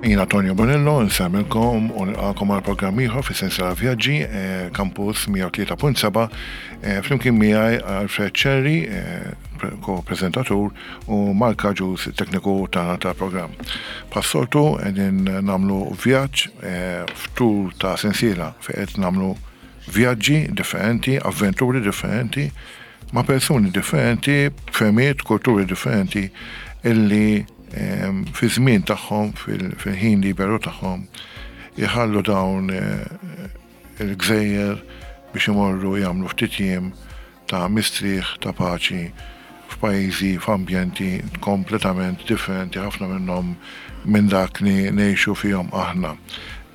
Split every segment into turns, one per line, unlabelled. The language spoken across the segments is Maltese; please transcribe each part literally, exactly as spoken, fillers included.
Jiena Tonio Bonello, nsellmilkom u nilqakom għal programm ieħor fi sensiela vjaġġi eh, Campus mija u tlieta punt seba', eh, flimkien miegħi Alfred Cherry, eh, ko-prezentatur, u Mark Agius, tekniku tagħna tal-programm. Bħas-soltu qegħdin nagħmlu vjaġġ, eh, f'tul ta' sensiela fejn qed nagħmlu vjaġġi differenti, avventuri differenti, ma' persuni differenti, fehmiet, kulturi differenti illi ehm, fi żmien tagħhom, fil-, fil-ħin liberu tagħhom, jħallu dawn, eh, il-gżejjer biex imorru jagħmlu ftit jiem ta' mistrieħ, ta' paċi f'pajjiżi, f'ambjenti kompletament differenti ħafna minnhom minn dak li ngħixu fihom aħna,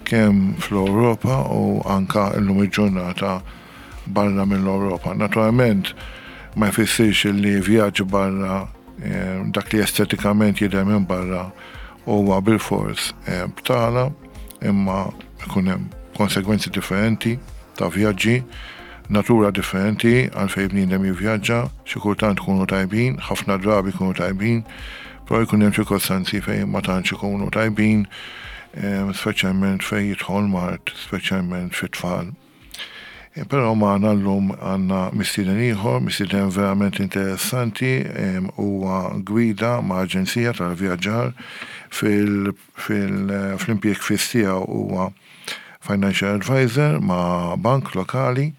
kemm fl-Ewropa u anka llum il-ġurnata barra mill-Ewropa. Naturalment ma jfissirx li vjaġġ barra, eh, dak li estetikament jidher minn barra huwa bilfors, eh, btala, imma ikun hemm konsegwenzi differenti ta' vjaġġi, natura differenti għalfejn bniedem jivvjaġġa, xi kultant ikunu tajbin, ħafna drabi jkunu tajbin, però jkun hemm ċirkostanzi fejn ma tantx ikunu tajbin, eh, speċjalment fejn jidħol mard, speċjalment fit-tfal. Eh, però magħna llum għandna mistieden ieħor, mistieden verament interessanti, em, huwa gwida ma' aġenzija tal-vjaġġar fil-, fil-, fl-impjieg fiss tiegħu huwa financial advisor ma' bank lokali.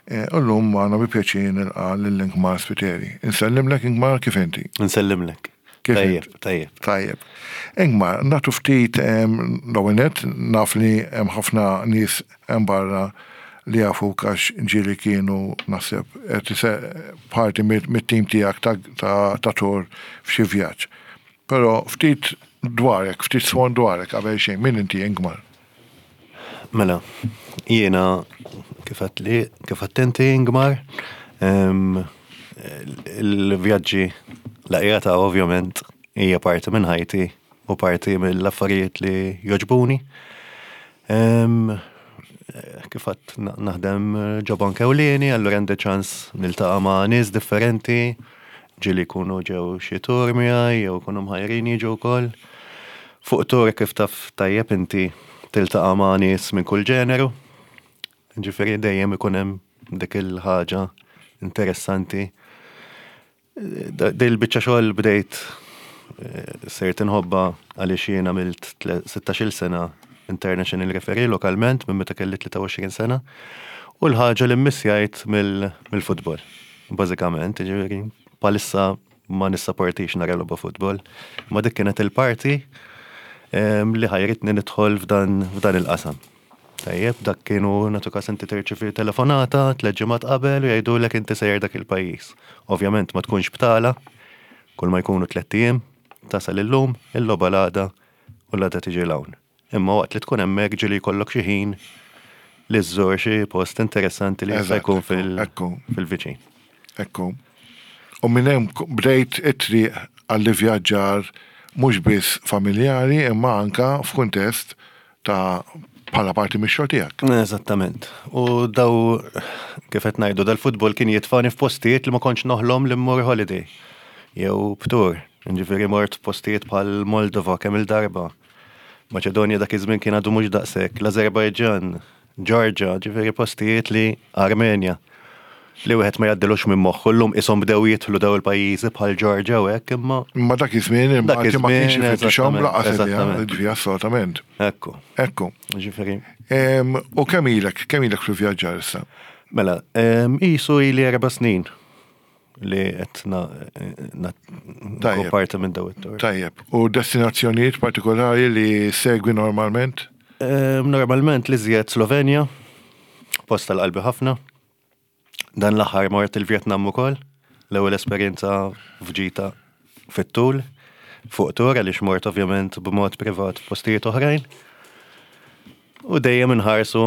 Eh, u llum magħna bi pjaċir nilqa' lil Ingmar Spiteri. Insellimlek Ingmar, kif inti?
Insellimlek.
Kif
Tajjeb,
inti?
tajjeb.
Tajjeb. Ingmar, nagħtu ftit, em, l-ewwel nett, naf li hemm ħafna nies hemm barra li jafuk għax ġieli kienu naħseb qed ise-, parti mit-, mit-tim tiegħek ta', ta', ta' tur f'xi vjaġġ. Però ftit dwarek, ftit swan dwarek qabel xejn, min inti Ingmar?
Mela, jiena kif għedt li, kif għedt inti Ingmar, em, il-vjaġġi laqjata ovvjament hija parti minn ħajti u parti mill-affarijiet li joġbuni. Em, kif għedt na-, naħdem ġo bank ewlieni, allura għandi ċans niltaqa' ma' nies differenti, ġieli jkunu ġew xi tur miegħi jew jkunu mħajrin jiġu wkoll. Fuq tur kif taf tajjeb inti tiltaqa' ma' nies minn kull ġeneru. Ġifieri dejjem ikun hemm dik il-ħaġa interessanti. Da-, Dil biċċa xogħol bdejt, eh, sirt inħobbha għaliex jien għamilt tle-, sittax-il sena international referee lokalment minn meta kelli tlieta u għoxrin sena u l-ħaġa li mmissjajt mill-, mill-futbol. Bażikament, ġifieri palissa ma nissapportix nara logħba futbol, ma dik kienet il-parti, em, li ħajritni nidħol f'dan, f'dan il-qasam. Tajjeb, dak kienu nagħtu każ inti tirċievi telefonata tliet ġimgħat qabel u jgħidulek inti sejjer dak il-pajjiż. Ovvjament ma tkunx btala, kull ma jkunu tliet ijiem, tasal illum, il-logħba l-għada u l-għada tiġi l-hawn. Imma waqt li tkun hemmhekk ġieli jkollok xi ħin li żżur xi post interessanti li jista'
Eżatt,
jkun fil-
ekku.
fil-viċin.
Ekku. U minn hemm bdejt it-triq għall-ivvjaġġar mhux biss familjari imma anka f'kuntest ta' bħala parti mix-xogħol tiegħek.
Eżattament. U daw kif qed ngħidu dal-futbol kien jitfani f'postijiet li ma kontx noħlom li mmur holiday jew b'tur. Ġifieri mort f'postijiet bħal Moldova kemm il-darba. Maċedonja dak iż-żmien kien għadu mhux daqshekk, l-Azerbajġan, Georgia, ġifieri postijiet li Armenja li wieħed ma jgħaddilux minn moħħu llum ishom bdew jidħlu daw il-pajjiżi bħal Georgia u hekk, imma
Imma dak iż-żmien
Dak
il-Malti ma kienx
iż-żmien,
ifittixhom
eżattament,
laqas idea,
eżattament.
ġifieri assolutament.
Ekku.
Ekku.
Ġifieri.
Em, u kemm ilek, kemm ilek fil-vjaġġar issa?
Mela, em, qisu ili erba' snin li qed na-, na-,
Tajjeb.
nkun parti minn daw it-tur.
Tajjeb. U destinazzjonijiet partikolari li segwi normalment?
Em, normalment li żjed Slovenja, post tal-qalbi ħafna. Dan l-aħħar mort il-Vjetnam ukoll, l-ewwel esperjenza f'ġita fit-tul, fuq tur għaliex mort ovvjament b'mod privat f'postijiet oħrajn. U dejjem inħarsu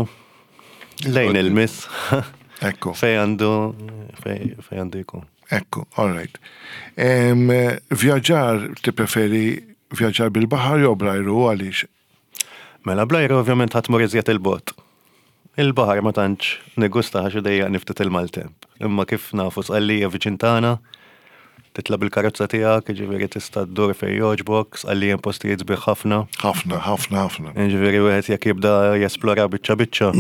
lejn il-miss.
Ekku.
Fej għandu, fej, fej għandu jkun.
Ekku, all right. Em, Vjaġġar, tippreferi vjaġġar bil-baħar jew bl-ajru, għaliex?
Mela, bl-ajru ovvjament ħadd mur iżjed il-bogħod. Il-baħar ma tantx niggusta għax idejjaqni ftit il-maltemp. Imma kif nafu, Sqallija viċin tagħna, titla' bil-karozza tiegħek, jiġifieri tista' ddur fejn jogħġbok. Sqallija postijiet sbieħ ħafna.
Ħafna, ħafna, ħafna.
Jiġifieri wieħed jekk jibda jesplora biċċa biċċa,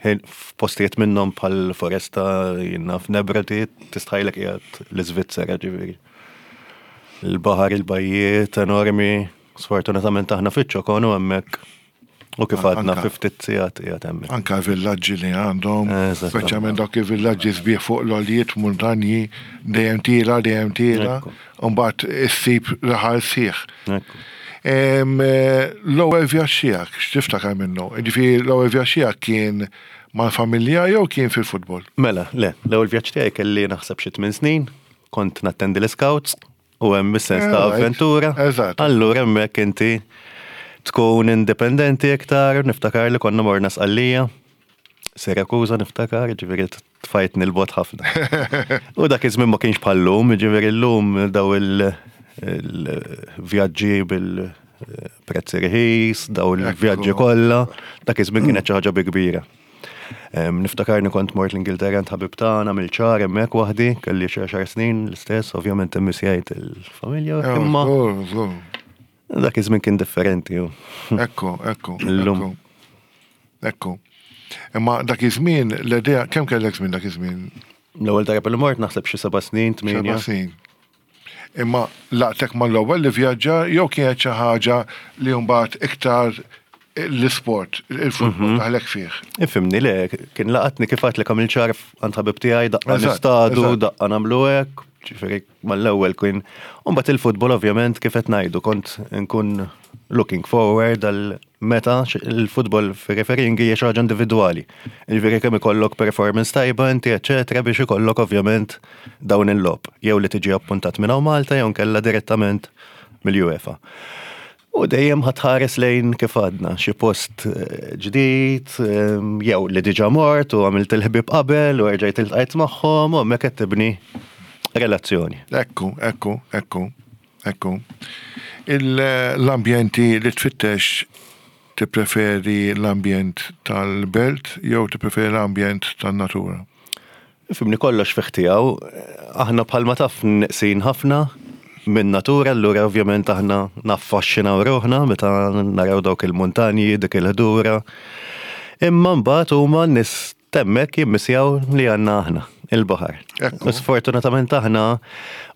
ħin f'postijiet minnhom bħal foresta jiena f'Nebrodi tistħajlek qiegħed l-Iżvizzera ġifieri. Il-baħar, il-bajjiet enormi, sfortunatament aħna fiċ-ċokon u hemmhekk u kif għadna
Anka-
fi ftit sigħat qiegħed hemmhekk.
Anka villaġġi li għandhom,
Eżatt.
speċjalment dawk il-villaġġi sbieħ fuq l-għoljiet, muntanji, dejjem tiela, dejjem tiela,
Ekku.
u mbagħad issib raħal sħiħ.
Ekku.
Em, eh, L-ewwel vjaġġ tiegħek, x'tiftakar minnu? Ġifieri l-ewwel vjaġġ tiegħek kien mal-familja jew kien fil-futbol?
Mela, le, l-ewwel vjaġġ tiegħi kelli naħseb xi tmien snin, kont nattendi l-scouts u hemm is-sens ta'
Alright.
avventura.
Eżatt.
Allura hemmhekk inti tkun indipendenti iktar, niftakar li konna morna Sqallija, Sirakuza niftakar, ġifieri tfajtni 'l bogħod ħafna. U dak iż-żmien ma kienx bħal-lum, ġifieri llum daw il- il-vjaġġi bil-prezzi rħis, daw il-vjaġġi
Ekku.
kollha, dak iż-żmien kienet xi ħaġa bi kbira. Em, Niftakarni kont mort l-Ingilterra għand ħabib tagħna mill-ċar hemmhekk waħdi, kelli xi għaxar snin l-istess, ovvjament immissjajt il-familja, imma
Żgur, żgur.
dak iż-żmien kien differenti. u.
Ekku, ekku,
Illum.
ekku. Ekku. Imma dak iż-żmien, l-idea, kemm kellek żmien dak iż-żmien?
L-ewwel darba li mort naħseb xi seba' snin, tmienja.
Seba' snin. Imma laqtek mal-ewwel li vjaġġa jew kienet xi ħaġa li mbagħad iktar l-isport, il-futbol daħlek fih?
Ifhimni, le, kien laqatni kif għedt li kamil ċar għand ħabib tiegħi, daqqa
Eżatt,
nistadu,
eżatt.
daqqa nagħmlu hekk, ġifieri mal-ewwel kien. Mbagħad il-futbol ovvjament kif qed ngħidu kont nkun looking forward għal meta x- il-futbol fi refereeing hija xi ħaġa individwali. Ġifieri kemm ikollok performance tajba inti eċetera biex ikollok ovvjament dawn il-logħob jew li tiġi appuntat minn hawn Malta jew nkella direttament mill-UEFA. U dejjem ħa tħares lejn kif għadna, xi post eh, ġdid, em, jew li diġà mort u għamilt il-ħbib qabel u erġajt iltqajt magħhom u hemmhekk qed tibni relazzjoni.
Ekku, ekku, ekku, ekku. Il- L-ambjenti li tfittex, tippreferi l-ambjent tal-belt jew tippreferi l-ambjent tan-natura?
Ifhimni, kollox fih tiegħu, aħna bħalma taf neqsin ħafna minn natura, allura ovvjament aħna naffaxxinaw ruħna meta naraw dawk il-muntanji, dik il-ħdura. Imma mbagħad huma n-nies t'hemmhekk jimmissjaw li għandna aħna, il-baħar.
Ekku.
U sfortunatament aħna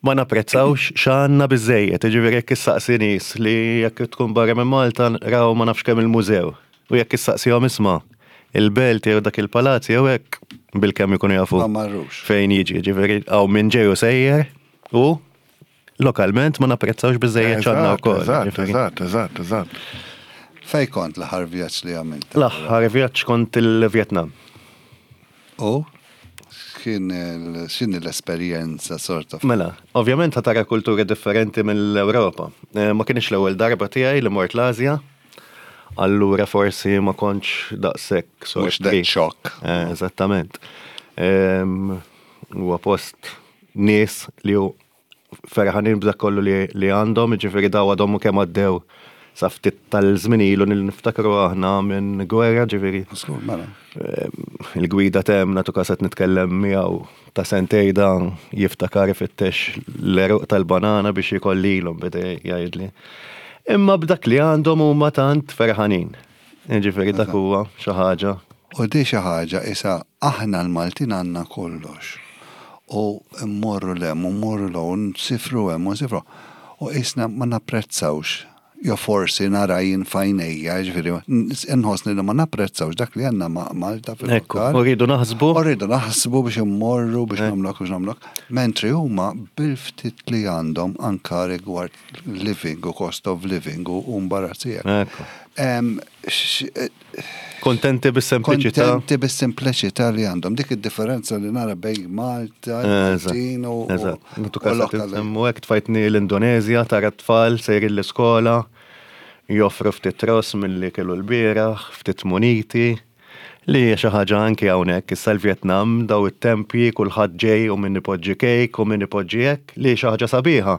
ma napprezzawx x'għandna biżejjed, jiġifieri jekk issaqsi nies li jekk tkun barra minn Malta raw ma nafx kemm il-mużew. U jekk issaqsihom isma' il-belt jew dak il-palazz jew hekk, bil-kemm ikunu jafu
Ma marrux.
fejn jiġi, ġifieri hawn minn ġej u sejjer u lokalment ma napprezzawx biżejjed x'għandna wkoll.
Eżatt,
ġifieri.
eżatt, eżatt, eżatt.
Fej kont l-aħħar vjaġġ li għamilt?
L-aħħar vjaġġ kont il-Vietnam.
U? Kien il- x'inhi l-esperjenza sort of?
Mela, ovvjament ħa tara kultura differenti mill-Ewropa. Eh, Ma kienx l-ewwel darba tiegħi li mort l-Asja, allura forsi ma kontx daqshekk
Mhux that
sorpriż.
shock.
Eh, Eżattament. Em, Huwa post nies li hu ferħanin b'dak kollu li, li għandhom, ġifieri daw għadhom kemm għaddew sa ftit tal-żmien ilu li niftakru aħna minn gwerra, ġifieri
Żgur, mela.
Ehm, il-gwida tem natu kaset nitkellem miegħu ta' sentej dan jiftakar ifittex l-għeruq tal-banana biex jkollilhom, beda jgħidli. Imma b'dak li għandhom huma tant ferħanin. Ġifieri dak huwa xi ħaġa.
U di xi ħaġa isa aħna l-Maltin għandna kollox. U mmorru 'l hemm, u mmorru 'l u nsifru hemm, u nsifru. U isna ma napprezzawx. Jo forsi nara jien f'għajnejja, ġifieri, nħossni li ma napprezzawx dak li għandna ma' Malta
Ekku,
fil-lokal.
u rridu naħsbu.
U rridu naħsbu biex immorru, biex nagħmlok, biex nagħmlok. Mentri huma bil-ftit li għandhom anka rigward living u cost of living u u mbarazzi.
Ekku.
Em, x-
Kontenti bis-sempliċità.
Kontenti bis-sempliċità li għandhom. Dik id-differenza li nara bejn Malta,
Eżatt,
Maltin u
Eżatt. Natu
u
kaset
lokali.
insemmu hekk tfajtni l-Indonezja, tara tfal sejrin l-iskola, joffru ftit ross milli kielu l-bieraħ, ftit muniti, Li hija xi ħaġa anki hawnhekk issa l-Vjetnam daw it-tempji kulħadd ġej u min ipoġġi kejk u min ipoġġi hekk li xi ħaġa sabiħa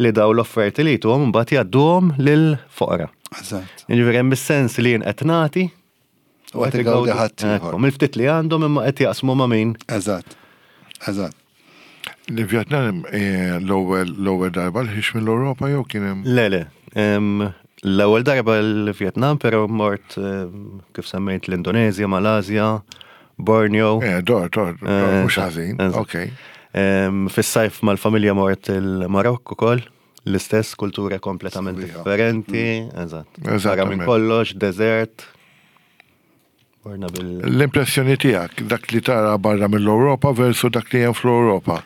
li daw l-offerti li jtuhom mbagħad jgħadduhom lil foqra.
Eżatt.
Jiġifieri hemm is-sens li jien qed nagħti
U qed igawdi ħadd ieħor.
Mill-ftit li għandhom imma qed jaqsmu ma' min.
Eżatt. Eżatt.
Li Vietnam eh, l-ewwel l-ewwel darba li ħiex mill-Ewropa jew kien hemm
Le, le. Em, L-ewwel darba l-Vietnam, però mort em, kif semmejt l-Indonezja, Malasja, Borneo.
Eh, dor, dor, dor,
Eh,
mhux ħażin.
eżatt.
Ok.
Em, Fis-sajf mal-familja mort il-Marokk ukoll, l-istess kultura kompletament
Sabiħa.
differenti, eżatt. Barra minn
Eżattament.
kollox, desert. Morna bil.
L-impressjoni tiegħek dak li tara barra mill-Ewropa versu dak li hemm fl-Ewropa.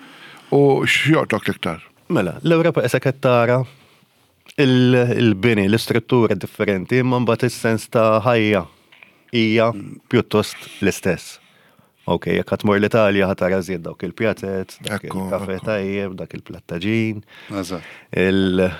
U x'joqtok l-iktar?
Mela, l-Ewropa issa qed tara il- il-bini, l-istruttura differenti, imma mbagħad is-sens ta' ħajja hija pjuttost l-istess. Ok, jekk ħa tmur l-Italja ħa tara żjed dawk il-pjatet, dak
Ekku,
il-kafe
ekku.
tajjeb, dak il-plattaġin,
Eżatt.
il-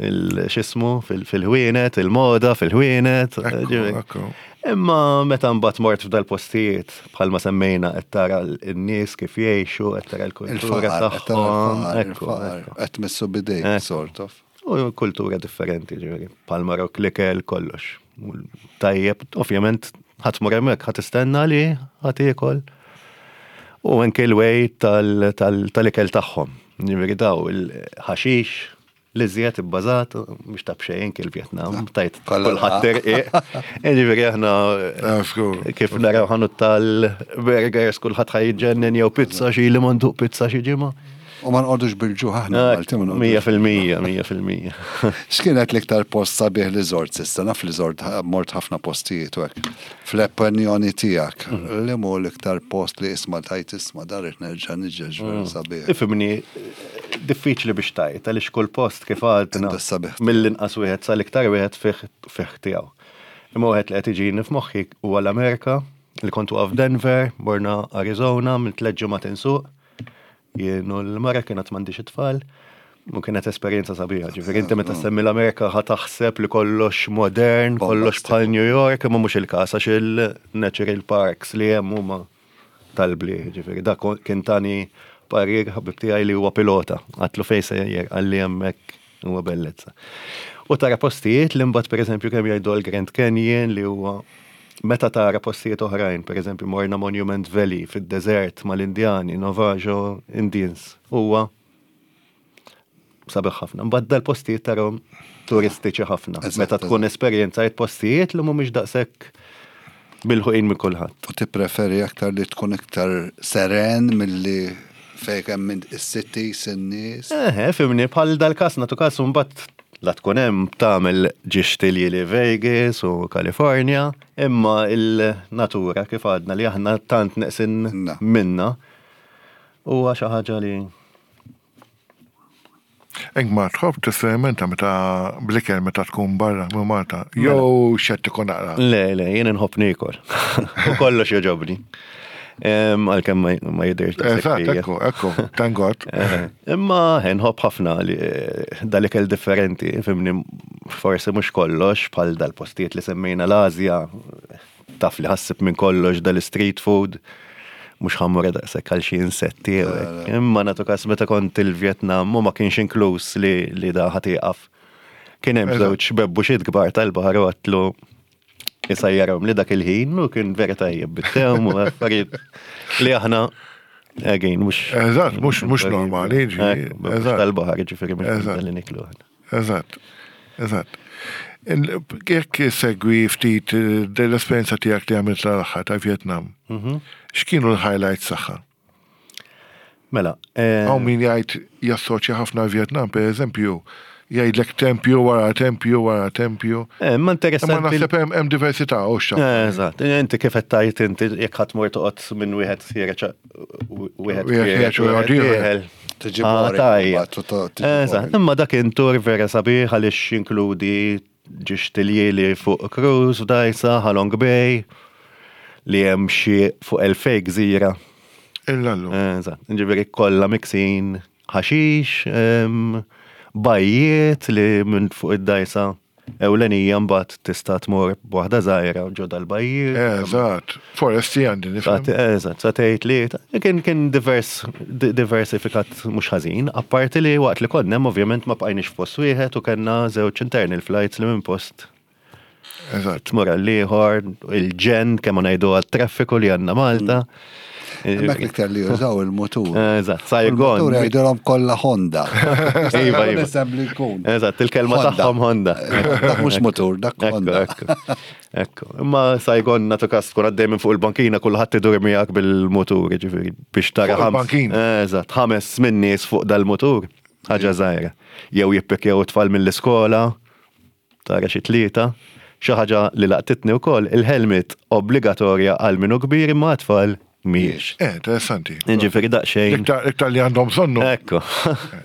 il- x'ismu fil- fil-ħwienet, il-moda fil-ħwienet.
Ekku,
ġifieri.
ekku.
Imma meta mbagħad mort f'dal-postijiet bħalma semmejna qed tara n-nies kif jgħixu, qed tara l-kultura
Il-faqar, qed tara
tagħhom.
il-faqar,
Ekku,
il-faqar.
ekku.
Qed missu bidejk,
Ekku.
sort of.
U kultura differenti, ġifieri. Palmarok, l-ikel, kollox. U Tajjeb, ovvjament, ħadd mur hemmhekk, ħadd istenna li ħadd iekol. U anke l-way tal- tal- tal-ikel tagħhom. Ġifieri daw il-ħaxix, li żjed ibbażat, mhux ta' b'xejn anke l-Vjetnam, tajt
Kollha
kulħadd terqiq. Ġifieri aħna
Ah, żgur.
kif naraw ħanut tal-burgers kulħadd ħa jiġġennen jew pizza xi li manduq pizza xi ġimgħa.
U ma nqogħdux bil-ġuħ aħna Malti ma nqogħdux.
Mija fil-mija, mija fil-mija.
X'kienet l-iktar post sabiħ li żort s'issa? Naf li żort mort ħafna postijiet u hekk. Fl-opinjoni tiegħek, li mu l-iktar post li isma' tajt isma' dar irid nerġa' niġi ġver sabiħ.
Ifimni, diffiċli biex tajt, għaliex kull post kif għadna
Għandu s-sabiħ.
mill-inqas wieħed sal-iktar wieħed fih fih tiegħu. Imma wieħed li qed iġini f'moħħi huwa l-Amerika, li kont waqaf Denver, morna Arizona, minn tliet ġimgħat insuq. Jien u l-mara kienet m'għandix it-tfal. U kienet esperjenza sabiħa, ġifieri inti meta semmi l-Amerika ħa taħseb li kollox modern, kollox bħal New York, imma mhux il-każ għax il-natural parks li hemm huma tal-bliħ, ġifieri dak kien tani parir ħabib tiegħi li huwa pilota, għatlu fejn sejjer qalli hemmhekk huwa bellezza. U tara postijiet li mbagħad pereżempju kemm jgħidu l-Grand Canyon li huwa meta tara postijiet oħrajn, pereżempju morna Monument Valley fid-deżert mal-Indjani, Navajo Indians, huwa sabiħ ħafna. Mbagħad dal-postijiet tarahom turistiċi ħafna.
Eżatt,
Meta tkun esperjenzajt postijiet li mhumiex daqshekk bilħuqin minn kulħadd.
U tippreferi aktar li tkun iktar seren milli fejn hemm minn is-cities in-nies.
Eħe, fimni, bħal dal-kas, natu kas, mbagħad la tkun hemm tagħmel ġiex li Vegas u Kalifornja, imma il-natura kif għadna li aħna tant neqsin
Na.
minna huwa xi ħaġa li
Ingmar, tħobb tesperimenta meta bl-ikel meta tkun barra minn Malta. Jew xettiku naqra.
Le, le, jien inħobb niekol. U kollox jogħġobni. Em, Għalkemm ma- ma jidirx daqshekk
Eżatt,
fija.
ekku, ekku, thank God.
Eh, Imma nħobb ħafna li eh, dal-ikel differenti, fimni forsi mhux kollox bħal dal-postijiet li semmejna l-Asja, taf li ħassib minn kollox dal-street food, mhux ħa mmur daqshekk għal xi insetti. jew hekk. Imma nagħtu kas meta kont il-Vjetnam u ma kienx inkluż li, li da ħa tieqaf. Kien hemm
Eżatt.
żewġ bebbuxiet kbar tal-baħar u għatlu jisajjarhom li dak il-ħin u kien vera tajjeb bit-tewm u affarijiet li aħna again mhux
Eżatt, mhux mhux normali, ġifieri,
Ekku, mhux
eżatt.
tal-baħar ġifieri mhux
Eżatt.
li niklu aħna.
Eżatt, eżatt. Il- Jekk segwi ftit eh, l-esperjenza tiegħek li għamilt l-aħħar ta' Vietnam, x'kienu l-highlights tagħha?
Mela, eh,
Hawn min jgħid jassoċja ħafna Vietnam, per eżempju, jgħidlek tempju wara tempju wara tempju.
eh, ma
Imma
interessanti.
naħseb hemm hemm diversità u xa.
Eh, Eżatt, inti kif qed tajt inti jekk ħadd mur toqgħod minn wieħed ħiereġ wieħed
Wieħed
ħiereġ
ħiereġ u
wieħed
ieħor.
dieħel.
Tiġi
Ah,
boring,
tajjeb.
mbagħad, tu- tu- tiġi
Eżatt,
boring.
imma dak intur vera sabiħ għaliex jinkludi ġiex tiljieli fuq cruise f'dajsa, Halong Bay, li hemm xi fuq elfej gżira.
Illallu.
Eżatt, ġifieri kollha miksin ħaxix, em, bajjiet li minn fuq id-dajsa ewlenija, mbagħad tista' tmur b'waħda żgħira ġo dal-bajjiet.
Eżatt, foresti għandi nifhem.
Eżatt, sa tgħid li kien kien divers diversifikat mhux ħażin, apparti li waqt li konna hemm ovvjament ma bqajniex f'post wieħed u kellna żewġ internal flights li minn post
Eżatt.
tmur għall-ieħor, il-ġenn kemm ma ngħidu għat-traffiku li għandna Malta.
Hemmhekk l-iktar li jużaw il-mutur.
Eżatt, Saigon.
Il-mutur jgħidulhom kollha Honda.
Iva, iva.
Nisem li jkun.
Eżatt, il-kelma
Honda.
tagħhom Honda.
Dak mhux mutur, dak
Ekku,
Honda.
ekku. Ekku. Imma Saigon natu kas tkun għaddej minn fuq il-bankina kulħadd idur miegħek bil-mutur, ġifieri biex tara
Fuq
ħams-
il-bankina.
Eżatt, ħames minn nies fuq dal-mutur. Ħaġa żgħira. Jew jippikjaw it-tfal mill-iskola, tara xi tlieta. Xi ħaġa li laqtitni wkoll, il-helmet obbligatorja għal minu kbir imma tfal mhijiex.
Eh, interessanti.
Ġifieri daqsxejn.
Iktar iktar li għandhom bżonnu.
Ekku.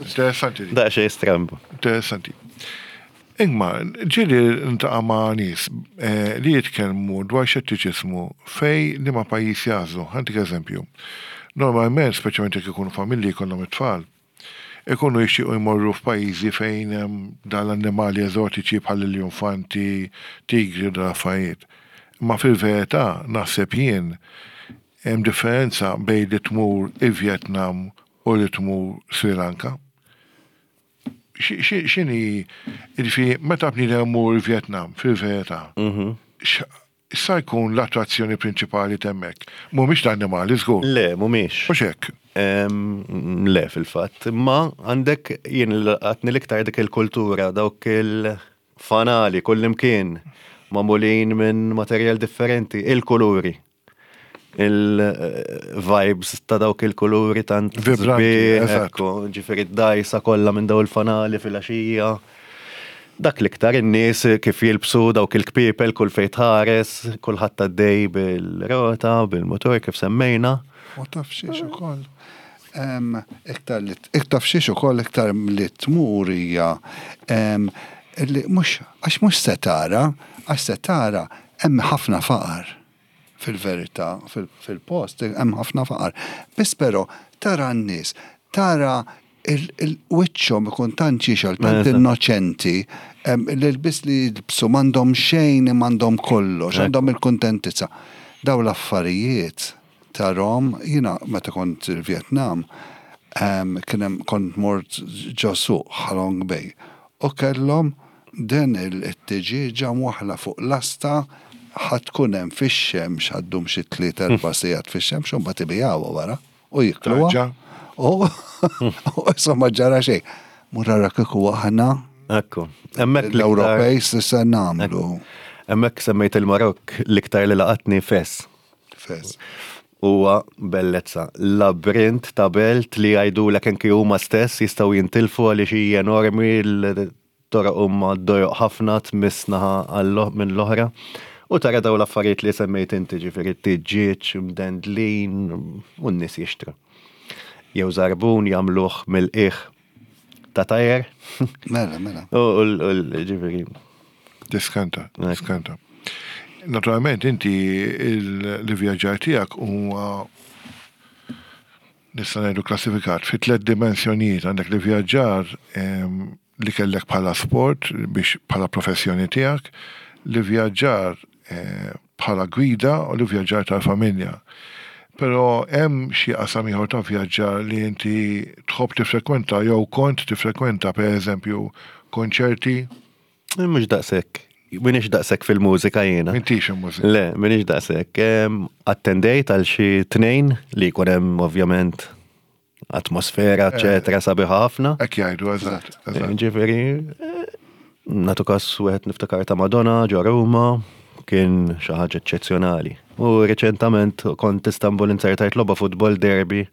Interessanti. di.
Daqsxejn strambu.
Interessanti. Imma, ġieli niltaqa' ma' nies eh, li jitkellmu dwar xettiċismu fejn li ma pajjiż jagħżlu. Ħa ntik eżempju. Normalment, speċjalment jekk ikunu familji jkollhom it-tfal, ikunu jixtiequ jmorru f'pajjiżi fejn hemm dal-annimali eżotiċi bħal l-infanti, tigri u dal-affarijiet. Ma fil-verità naħseb jien hemm differenza bejn li tmur il-Vietnam u li tmur Sri Lanka. X'inhi, ġifieri, meta bniedem imur il-Vietnam, fil-verità, sa jkun l-attrazzjoni prinċipali t'hemmhekk? Mhumiex l-annimali, żgur.
Le, mhumiex.
Mhux hekk.
Em, Le, fil-fatt. Ma għandek jien għatni l-iktar dik il-kultura, dawk il-fanali, kullimkien, magħmulin minn materjal differenti, il-kuluri. Il-vibes ta' dawk il-kuluri tant
Vibranti,
sbieħ,
eżatt.
ekku, ġifieri d-dajsa kollha minn daw il-fanali fil-għaxija. Dak l-iktar in-nies kif jilbsu dawk il-kpiepel kull fejn tħares, kulħadd għaddej bil-rota, bil-motor kif semmejna.
U taf xiex ukoll. Em, Iktar li iktar xiex ukoll iktar li tmur hija em, li mhux għax mhux se tara, għax se tara hemm ħafna faqar fil-verità fil- fil-post hemm ħafna faqar. Biss però tara n-nies, tara il-wiċċhom ikun tant jixgħel, tant
Eżatt.
innoċenti, em, li l-bis li jilbsu m'għandhom xejn m'għandhom kollox, għandhom il-kuntentizza. Daw l-affarijiet tarahom, jiena meta kont il-Vietnam, em, kien hemm kont mort ġo suq Halong Bay u kellhom den il-tiġieġa mwaħla fuq lasta ħa tkun hemm fix-xemx ħa ddum xi tliet erba' sigħat fix-xemx u mbagħad ibigħuha wara u jikluha.
Tarġa.
U u insomma ġara xejn. Mur ara kieku aħna
Ekku. Hemmhekk l-iktar-
l-Ewropej s'issa nagħmlu.
Hemmhekk semmejt il-Marokk, l-iktar li laqatni Fes.
Fes.
Huwa bellezza. Labrint ta' belt li jgħidulek anki huma stess jistgħu jintilfu għaliex hija enormi, l-toroq huma dojoq ħafna, tmiss naħa għall- minn l-oħra. U tara daw l-affarijiet li semmejt inti, ġifieri tiġġieġ, mdendlin, u n-nies jixtru. Jew żarbun jagħmluh mill-qiegħ ta' tajer.
Mela, mela.
U u- u- ġifieri.
Diskanta, diskanta. Naturalment, inti l-vjaġġar tiegħek huwa nista' ngħidu klassifikat fi tliet dimensjonijiet. Għandek li vjaġġar em, li kellek bħala sport biex bħala professjoni tiegħek, li vjaġġar eh, bħala gwida u li vjaġġar tal-familja. Però hemm xi qasam ieħor ta' vjaġġar li inti tħobb tifrekwenta jew kont tifrekwenta, pereżempju konċerti?
Mhux daqshekk. M'iniex daqshekk fil-mużika jiena.
M'intix il-mużika.
Le, m'iniex daqshekk. Em, Attendejt għal xi tnejn li jkun hemm ovvjament atmosfera, eċetera, sabiħa ħafna.
Hekk jgħidu, eżatt. eżatt.
Ġifieri, eh, natu kas wieħed niftakar ta' Madonna ġo Ruma, kien xi ħaġa eċċezzjonali. U reċentament kont Istanbul, inzertajt logħba futbol derby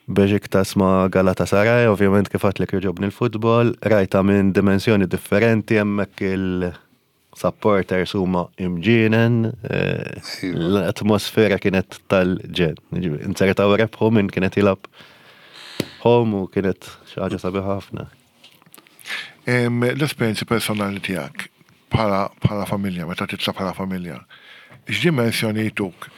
Beşiktaş ma' Galatasaray, ovvjament kif għedtlek jogħġobni l-futbol, rajta minn dimensjoni differenti, hemmhekk il-supporters huma imġienen, eh, l-atmosfera kienet tal-ġenn. Ġifieri, inzertaw rebħu minn kienet jilgħab home u kienet xi ħaġa sabiħa ħafna.
Em, L-esperjenzi personali tiegħek bħala bħala familja, meta titla' bħala familja, x'dimensjoni jtuk?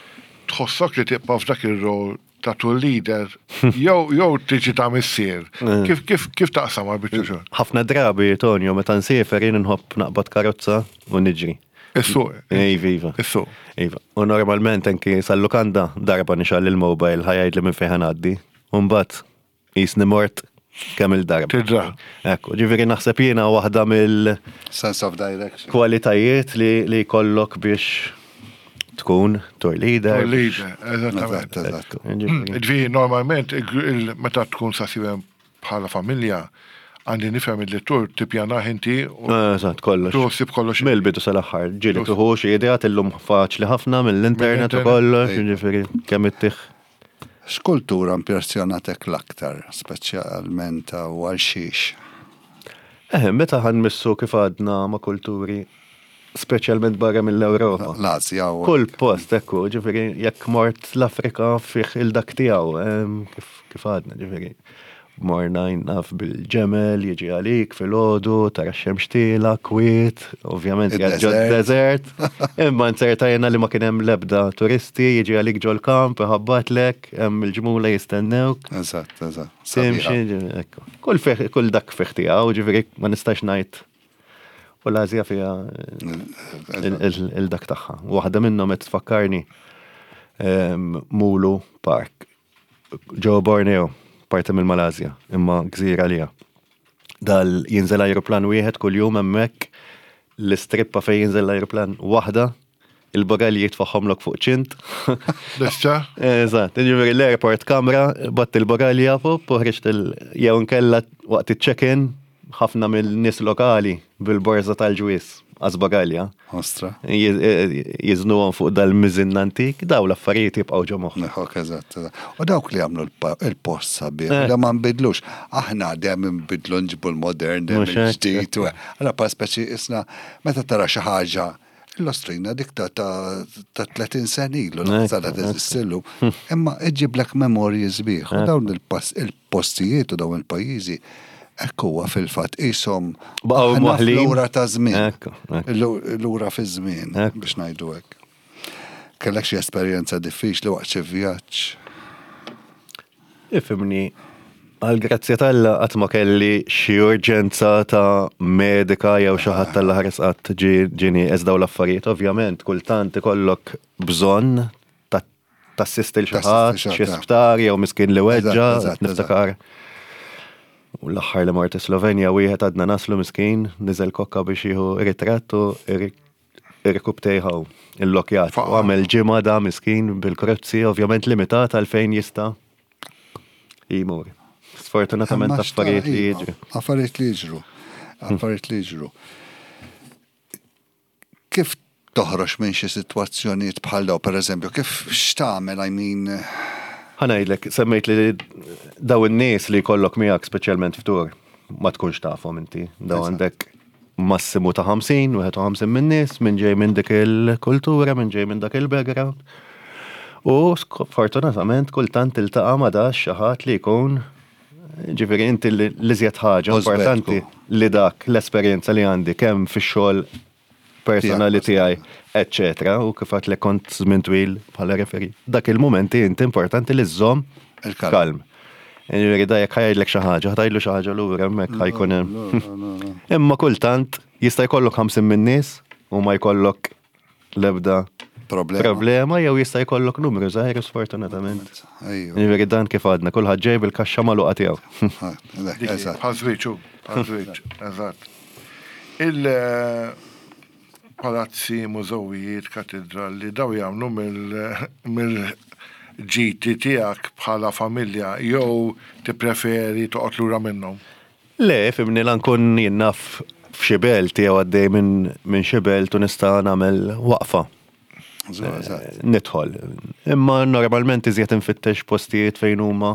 Tħossok li tibqa' f'dak ir-rol ta' tour leader jew jew tiġi ta' missier. Kif kif kif taqsam għal xogħol?
Ħafna drabi, Tonio, meta nsiefer jien nħobb naqbad karozza u niġri.
Is-suq.
Iva, iva.
Is-suq.
Iva. U normalment anki sal-lukanda darba nixgħel il-mobile ħa jgħidli minn fejn ngħaddi. U mbagħad jisni mort kemm il-darba.
Tidra.
Ekku, ġifieri naħseb jiena waħda mill
Sense of direction.
kwalitajiet li li jkollok biex tkun tour leader.
Tour leader, eżattament.
Eżatt, eżatt.
Ekku, ġifieri.
Ġifieri, normalment, il- meta tkun sasibem bħala familja, għandi nifhem li tour tippjanah inti u
Eżatt, kollox.
tuħsib kollox.
Mill-bidu sal-aħħar, ġieli tuħu xi ideat illum faċli ħafna mill-internet u
Mill-internet.
kollox, ġifieri kemm ittih.
X'kultura impressjonatek l-aktar, speċjalment u għal xiex?
Eh, meta ħa nmissu kif għadna ma' kulturi, speċjalment barra mill-Ewropa.
L-Azja u.
Kull post, ekku, ġifieri, jekk mort l-Afrika fih il-dak tiegħu, em, kif kif għadna, ġifieri. Morna naf bil-ġemel, jiġi għalik fil-ħodu, tara x-xemx tielgħa, kwiet, ovvjament ġo
Il-desert.
desert. Imma nzertajna li ma kien hemm lebda turisti, jiġi għalik ġol kamp, iħabbatlek, hemm il-ġmula jistennewk.
Eżatt, eżatt.
Timxi,
Sabiħa.
ekku. Kull fih, kull dak fih tiegħu, ġifieri ma nistax ngħid. U l-Azja fiha il-dak tagħha. Waħda minnhom qed tfakkarni em, Mulu Park. Ġo Borneo, parti mill-Malasja, imma gżira lija. Dal jinżel aeroplan wieħed kuljum hemmhekk l-istrippa fejn jinżel l-aeroplan waħda, il-bagalji jitfaħħomlok fuq ċint.
Lesta?
Eżatt, ġifieri l-airport kamra, batt il-bagalja fuq, u ħriġt il- jew nkella waqt il-check-in, ħafna mill-nies lokali bil-borza tal-ġwis, għax bagalja.
Ostra.
Jiżnuhom fuq dal-miżin antik, daw l-affarijiet jibqgħu ġo moħħ.
Neħok, eżatt, eżatt. U dawk li għamlu l- il-post sabiħ,
Eh.
da ma nbidlux. Aħna dejjem nbidlu nġibu l-modern, dejjem
Mhux hekk.
il-ġdid. u- Allora pa speċi isna, meta tara xi ħaġa, l-ostrina dik ta' ta' ta' tletin sena ilu,
Ekku,
l teżisti llum. Imma iġiblek memorji sbieħ. U dawn il-pas- il-postijiet u dawn il-pajjiżi, ekku huwa fil-fatt qishom
Baqgħu
aħna
mwaħħlin.
fl-ura ta' żmien.
Ekku, ekku.
Lura fi żmien
Ekku.
biex ngħidu hekk. Kellek xi esperjenza diffiċli waqt xi vjaġġ?
Ifhimni, għal-grazzja t'Alla qatt ma kelli xi urġenza ta' medika jew xi ħadd tal-ħares qatt ġini daw l-affarijiet. Ovvjament, kultant ikollok bżonn ta' tassisti l xi ħadd,
Tassisti
xi
xi ħadd,
sptar jew miskin li weġġa,
Eżatt, eżatt,
niftakar. U l-aħħar li mort Slovenja wieħed għadna naslu miskin, niżel kokka biex jieħu ritratt u irkubtejħaw il-lokjat. U għamel ġimgħa da miskin bil-krozzi, ovvjament limitat għal fejn jista' jimur. Sfortunatament
Imma
affarijiet li
xta-
jiġru.
Affarijiet li jiġru. Affarijiet li jiġru. Kif toħroġ minn xi sitwazzjonijiet bħal daw, per eżempju, kif x'tagħmel, I mean,
Ħa ngħidlek, semmejt li daw in-nies li jkollok miegħek speċjalment f'tour, ma tkunx tafhom inti. Daw
Eżatt.
għandek massimu ta' ħamsin, wieħed u ħamsin minn nies, minn ġej minn dik il-kultura, minn ġej minn dak il-background. U fortunatament kultant tiltaqa' ma dax xi ħadd li jkun, ġifieri inti li l-iżjed ħaġa
Użbetku.
importanti li dak l-esperjenza li għandi kemm fix-xogħol personali tiegħi, eccetera, u kif għedt li kont żmien twil bħala referee. Dak il-momenti inti importanti li żżomm
Il-kalm.
kalm. Ġifieri da jekk ħa jgħidlek xi ħaġa, ħa tgħidlu xi ħaġa lura hemmhekk ħa jkun hemm. Imma kultant jista' jkollok ħamsin minn nies u ma jkollok l-ebda
Problema.
problema jew jista' jkollok numru żgħir sfortunatament.
Ejju.
Ġifieri dan kif għadna, kulħadd ġej bil-kaxxa magħluqa tiegħu.
Ah,
Dik,
Eżatt.
Bħal żwieġ, hu, bħal żwieġ, eżatt. Il-palazzi, mużewijiet, katedrali, daw jagħmlu mill-ġiti tiegħek bħala familja jew tippreferi toqgħod lura minnhom?
Le, fhimni, la nkun jien naf f'xi belt jew għaddej minn min xi belt u nista' nagħmel waqfa.
Eżatt.
Nidħol. Imma normalment iżjed infittex postijiet fejn huma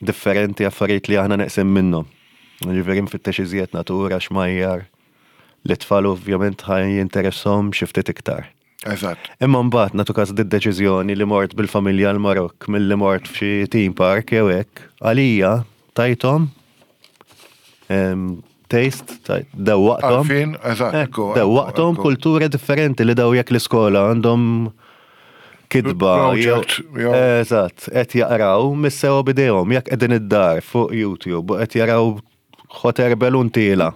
differenti, affarijiet li aħna neqsin minnhom. Ġifieri nfittex iżjed natura, xmajjar. L-tfal ovvjament ħa jinteressahom xi ftit iktar.
Eżatt.
Imma mbagħad nagħtu każ d-deċiżjoni li mort bil-familja l-Marokk milli mort f'xi theme park jew hekk, għalija tajthom em, taste, taj- dewwaqthom.
Għarfien, eżatt,
Eh,
ekku,
Dewwaqthom
ekku.
kultura differenti li daw jekk l-iskola għandhom kitba.
Project, jew-
Eżatt, qed jaqraw missew bidejhom, jekk qegħdin id-dar fuq YouTube u qed jaraw hot air balloon tiela'.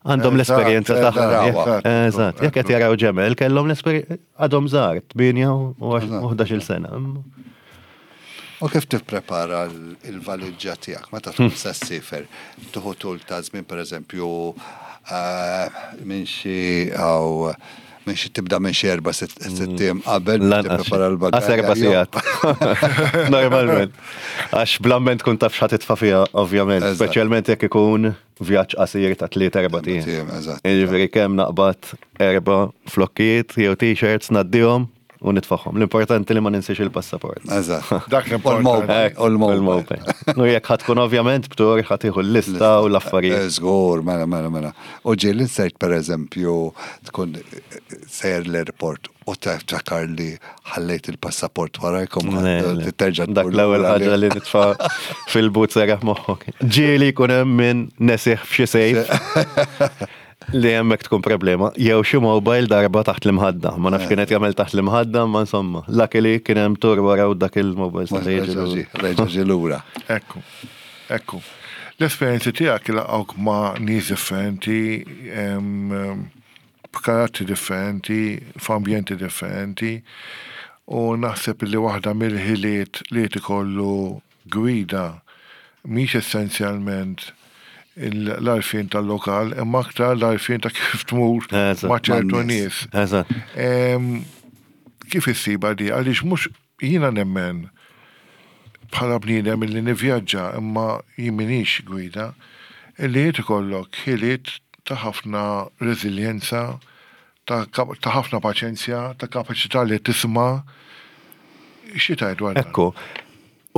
Għandhom
Eżatt,
l-esperjenza
eżatt,
tagħhom.
eżatt,
Eżatt, jekk qed jaraw ġemel kellhom l-esperjenza għadhom żgħar, tmienja u ħdax-il sena.
U kif tipprepara l- il-valiġġa tiegħek meta tkun se ssiefer? Tieħu tul ta' żmien, pereżempju, eh, minn xi aw minn xi tibda minn xi erba' sitt ijiem qabel biex
Lanqas.
tipprepara l-bagalja.
Għas erba'
jew-
sigħat. Normalment. Għax blamment tkun taf x'ħa titfa' fiha, ovvjament.
Eżatt.
Speċjalment jekk ikun vjaġġ qasir ta' tliet erba' ijiem.
Ijiem, eżatt.
Jiġifieri kemm naqbad erba' flokkijiet jew t-shirts, ngħaddihom u nitfagħhom. L-importanti li ma ninsiex il-passaport.
Eżatt.
Dak l-importanti.
U l-mobile.
U l-mobile. U jekk ħa tkun ovvjament b'tur, ħa tieħu l-lista u l-affarijiet.
Żgur, mela, mela, mela. U ġieli insert, per eżempju, tkun sejjer l-airport u tiftakar li ħallejt il-passaport warajkom,
Le, le.
terġa'
Dak
tmur
l-ewwel
lura
ħaġa li nitfa' fil-but, serraħ moħħok. Ġieli jkun hemm min nesih f'xi safe li hemmhekk tkun problema. Jew xi mobile darba taħt l-imħadda. Ma nafx kienet jagħmel taħt l-imħadda, ma insomma. Luckily kien hemm tur wara u dak il-mobile
Ma
sa jiġi lura.
Reġa' ġie lura.
Ekku, ekku. L-esperienzi tiegħek laqgħuk ma' nies differenti, em, em, b'karattri differenti, f'ambjenti differenti, u naħseb li waħda mill-ħiliet li ikollu gwida mhix essenzjalment il- l-għarfien tal-lokal, imma aktar l-għarfien ta' kif tmur
Eżatt.
ma' ċertu
Man-nies.
nies.
Eżatt.
Em, Kif issiba di? Għaliex mhux jiena nemmen bħala bniedem illi nivvjaġġa, imma jien minix gwida, illi jrid ikollok ħiliet ta' ħafna reżiljenza, ta' kap- ta' ħafna paċenzja, ta' kapaċità li tisma'. Xi tgħid dwar dan?
Ekku.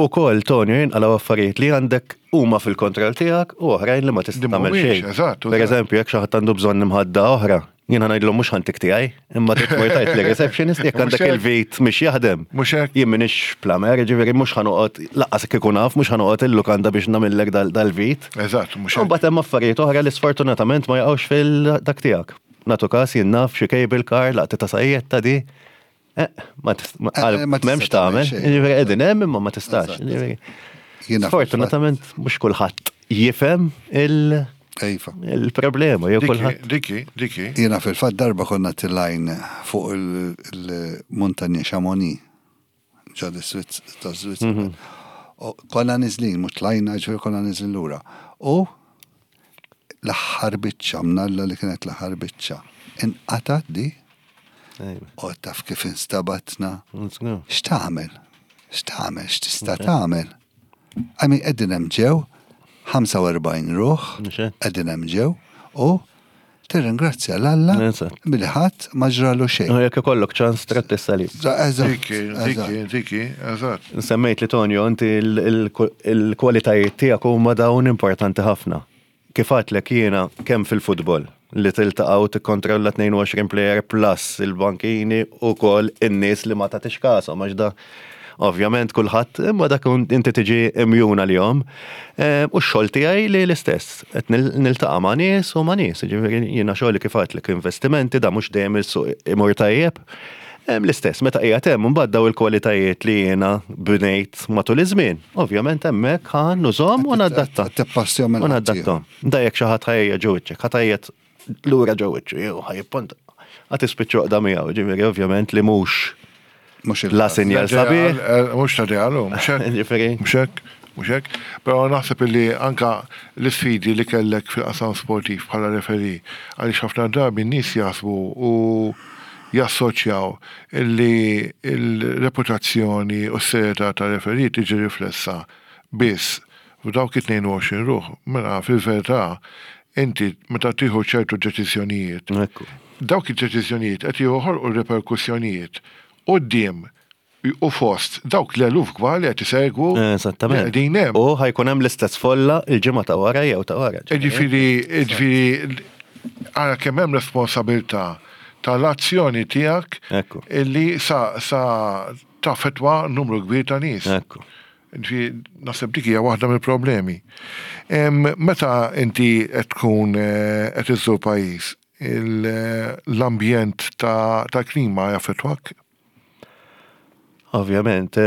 U kol, Tonio, jinqalaw affarijiet li għandek huma fil-kontroll tiegħek u oħrajn li ma tista'
Li
tagħmel
mhumiex,
xejn.
eżatt,
Per
eżatt.
eżempju, jekk xi ħadd għandu bżonn imħadda oħra, jiena ngħidlu mhux ħa ntik tiegħi, imma trid tmur tgħid li receptionist jekk
Mhux
għandek
hekk.
il-vit mhix jaħdem.
Mhux hekk.
Jien m'iniex plumber, ġifieri mhux ħa noqgħod, lanqas kieku naf, mhux ħa noqgħod il-lukanda biex nagħmillek dal- dal-vit.
Eżatt, mhux
U
hekk.
mbagħad hemm affarijiet oħra li sfortunatament ma jaqgħux fil-dak tiegħek. Nagħtu każ, jien naf xi cable car, laqti ta' sajjetta di. Eh, ma tist- ma
Eh, eh, ma tista'
m'hemmx tagħmel.
tagħmel xejn.
Ġifieri qegħdin hemm imma ma tistax.
Eżatt.
Ġifieri,
Jiena
sfortunatament mhux kulħadd jifhem il-
Iva.
il-problema jew
Diki,
kulħadd.
diki, diki.
Jiena fil-fatt darba konna tilajn fuq il- il-muntanja Chamonix, ġo ta' Switzerland. U konna nizlin, mhux tlajna, ġifieri konna nizlin lura. U l-aħħar biċċa, mnalla li kienet l-aħħar biċċa, inqatat di, u taf kif instabatna. X'tagħmel? X'tagħmel? X'tista' tagħmel? I mean, qegħdin hemm ġew, ħamsa u erbgħin ruħ,
Mhux hekk.
qegħdin hemm ġew, u tirringrazzja 'l Alla
Eżatt.
billi ħadd ma ġralu xejn.
U jekk ikollok ċans trid tissalib.
Eżatt,
Diki, diki, diki, eżatt.
Semmejt li, Tonio, inti il- il- il-kwalitajiet tiegħek huma dawn importanti ħafna. Kif għedtlek jiena, kemm fil-futbol li tiltaqa' u tikkontrolla tnejn u għoxrin player plus il-bankini u kol in-nies li ma tagħtix kasom, għax da ovvjament kulħadd, imma dak inti tiġi immune għalihom. Eh, U x-xogħol tiegħi li l-istess, qed nil- niltaqa' ma' nies u ma' nies, ġifieri jiena xogħli, kif għedtlek, investimenti, da mhux dejjem il-suq imur tajjeb. Em, L-istess, meta qiegħed hemm imbagħad daw il-kwalitajiet li jiena bnejt matul iż-żmien. Ovvjament hemmhekk ħa nużhom u nadatta.
Tippassjom
U nadattom. Da jekk xi ħadd ħa jgħajjat ġo wiċċek, ħa tgħajjat lura ġo wiċċu, jew ħa jipponta. Ħa tispiċċa oqda miegħu, ġifieri ovvjament li mhux
Mhux
la sinjal sabiħ.
Mhux ta' dialu, mhux hekk.
Ġifieri.
Mhux hekk, mhux hekk. Però naħseb illi anka l-isfidi li kellek fil-qasam sportiv bħala referee, għaliex ħafna drabi n-nies jaħsbu u jassoċjaw illi il-reputazzjoni u s-serjetà ta' referee tiġi riflessa biss f'dawk it-tnejn u għoxrin ruħ. Mela fil-verità inti meta tieħu ċertu deċiżjonijiet,
Ekku.
dawk id-deċiżjonijiet qed joħolqu reperkussjonijiet quddiem u fost dawk l-eluf kbar li qed isegwu
Eżattament.
li qegħdin hemm.
U ħa jkun hemm l-istess folla il-ġimgħa ta' wara jew ta' wara.
Ġifieri, ġifieri, ara kemm hemm responsabilità tal-azzjoni tiegħek
Ekku.
illi sa sa taffettwa numru kbir ta' nies.
Ekku.
Ġifieri, naħseb dik hija waħda mill-problemi. Em, Meta inti qed tkun eh, qed iżżur pajjiż, il- l-ambjent ta' ta' klima jaffettwak?
Ovvjament,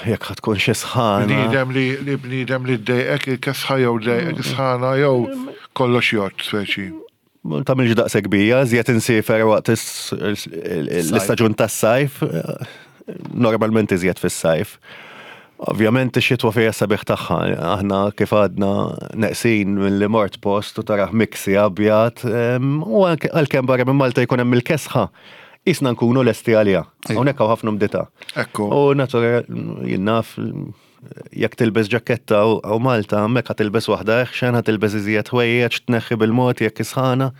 jekk ħa tkun xi sħana.
Bniedem li li bniedem li ddejqek il-kesħa jew ddejqek sħana jew kollox jgħodd speċi.
Ma tagħmilx daqshekk bija, żjed insiefer waqt l-istaġun tas-sajf, normalment iżjed fis-sajf. Ovvjament ix-xitwa fija sabiħ tagħha, aħna kif għadna neqsin mill-li mort post u taraħ miksi abjad, u għalkemm barra minn Malta jkun hemm il-kesħa, isna nkunu lesti għalija. Hawnhekk hawn ħafna mdita.
Ekku.
U natura jien naf jekk tilbes ġaketta u Malta, hemmhekk ħa tilbes waħda eħxen, ħa tilbes iżjed ħwejjeġ, tneħħi bil-mod jekk isħana.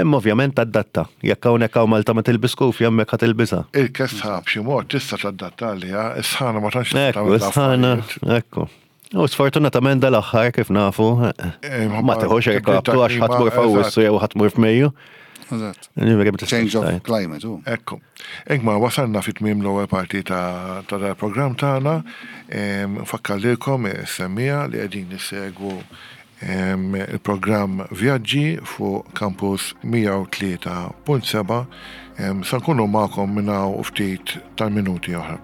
Imma ovvjament tadatta. Jekk hawnhekk hawn Malta ma tilbis kufja, hemmhekk ħa tilbisha.
Il-kesħa b'xi mod tista' tadatta għaliha, is-sħana ma tantx
Ekku, is-sħana, ekku. U sfortunatament dal-aħħar kif nafu, ma teħux irkabtu għax ħa tmur f'Awwissu jew ħa tmur f'Mejju.
Eżatt.
Ġifieri ma tistax
Change of
tgħid.
climate, u.
Ekku. Ingmar, wasalna fit tmiem l-ewwel parti ta' ta' dal-programm tagħna. Em, Nfakkar lilkom semmiegħa li qegħdin nissegwu em, il-programm Vjaġġi fuq Campus mija u tlieta punt seba'. Em, Sa nkunu magħkom minn hawn u ftit tal-minuti oħra.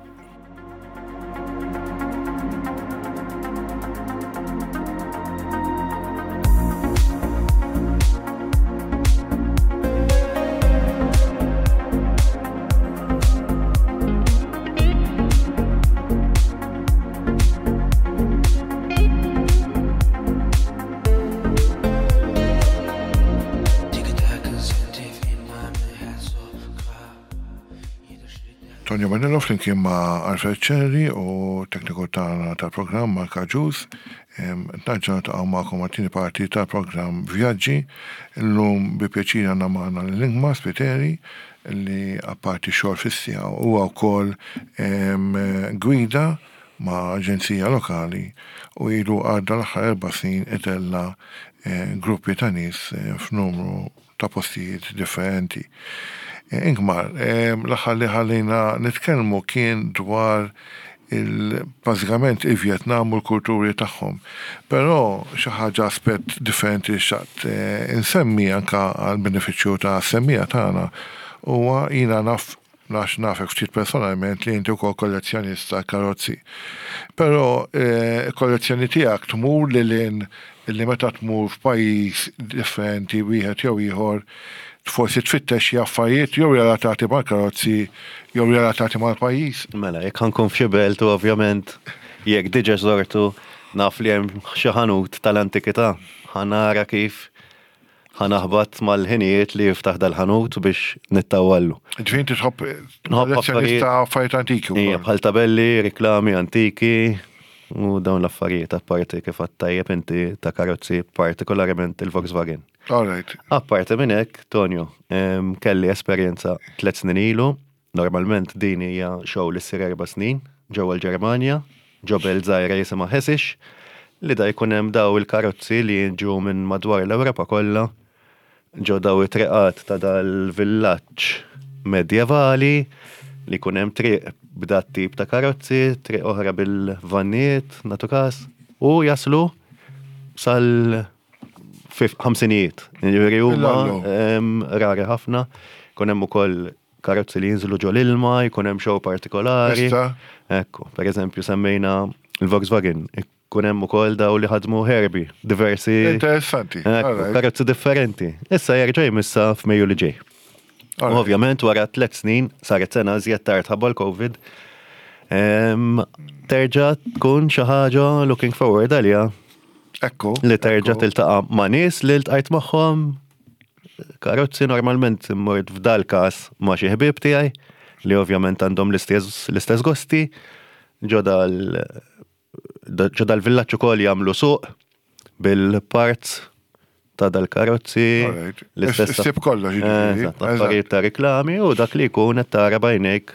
Tonio Manello flimkien ma' Alfred Cherry u tekniku tagħna tal-programm Mark Agius. Nerġgħu niltaqgħu magħkom għat-tieni parti tal-programm Vjaġġi. Illum bi pjaċir għandna magħna lil Ingmar Spiteri li apparti xogħol fis-sija huwa wkoll, em, gwida ma' aġenzija lokali u ilu għadda l-aħħar erba' snin itella, eh, gruppi ta' nies, eh, f'numru ta' postijiet differenti. Eh, Ingmar, em, l-aħħar li ħallejna nitkellmu kien dwar il-, bażikament il-Vjetnam u l-kulturi tagħhom. Però xi ħaġa aspett differenti li xtaqt, eh, insemmi anka għal benefiċċju ta' semmija tagħna huwa jiena naf għax nafek ftit personalment li inti wkoll kollezzjonista karozzi. Però, eh, kollezzjoni tiegħek tmur lil hinn li meta tmur f'pajjiż differenti wieħed jew ieħor forsi tfittex xi affarijiet jew relatati mal-karozzi jew relatati mal-pajjiż.
Mela, jekk ħa nkun f'xi belt u ovvjament jekk diġà żortu naf li hemm xi ħanut tal-antikità, ħa nara kif ħa naħbat mal-ħinijiet li jiftaħ dal-ħanut biex nittawallu.
Ġifieri inti tħobb
Nħobb
kollezzjonista affarijiet antiki wkoll.
Ija, bħal tabelli, riklami antiki u dawn l-affarijiet apparti kif għedt tajjeb inti ta' karozzi, partikolarment il-Volkswagen.
All right.
Apparti minn hekk, Tonio, em, kelli esperjenza tliet snin ilu. Normalment din hija show li ssir erba' snin ġewwa l-Ġermanja, ġo belt żgħira jisimha Hessisch, li da jkun hemm daw il-karozzi li jiġu minn madwar l-Ewropa kollha ġo daw it-triqat ta' dal-villaġġ medjevali li jkun hemm triq b'dat tip ta' karozzi, triq oħra bil-vannijiet, natu każ, u jaslu sal fif-, ħamsinijiet. Jiġifieri huma,
Illallu.
em, rari ħafna, jkun hemm ukoll karozzi li jinżlu ġol ilma, jkun hemm show partikolari.
Issa?
Ekku, per eżempju semmejna il-Volkswagen, ikun hemm ukoll daw li ħadmu Herbie, diversi
Interessanti.
Ekku,
All right.
karozzi differenti. Issa jerġa' jmissa f'Mejju li ġej.
All right.
Ovvjament wara tliet snin, saret sena żjed tard ħabba l-Covid, em, terġa' tkun xi ħaġa looking forward għaliha.
Ekku,
Li terġa'
ekku.
tiltaqa' ma' nies li ltqajt magħhom. Karozzi normalment immort f'dal każ ma' xi ħbieb tiegħi li ovvjament għandhom l-istess, l-istess gosti. Ġo dal, ġo dal-villaġġ ukoll jagħmlu suq bil-parts ta' dal-karozzi.
All right.
L-istess
Issib kollox, jiġifieri.
Eżatt, affarijiet ta' reklami u dak li jkun qed tara b'għajnejk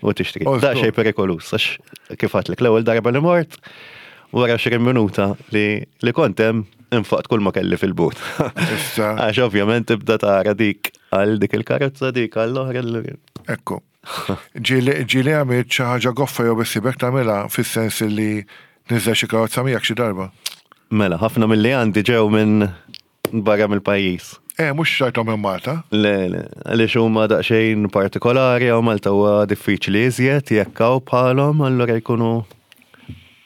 u tixtri.
Oh,
Da
żgur.
xejn perikolus, għax kif għedtlek l-ewwel darba li mort, wara għoxrin minuta li, li kont hemm infaqt kull ma kelli fil-but.
Issa.
Għax ovvjament tibda tara dik għal dik il-karozza, dik għall-oħra.
Ekku. Ġieli, ġieli għamilt xi ħaġa goffa jew bissibek tagħmilha fis-sens li niżel xi karozza miegħek xi darba.
Mela, ħafna mill-li għandi ġew minn barra mill-pajjiż.
Eh, mhux xtrajthom minn Malta.
Le, le, għaliex huma daqsxejn partikolari għaw Malta huwa diffiċli iżjed jekk hawn bħalhom, allura jkunu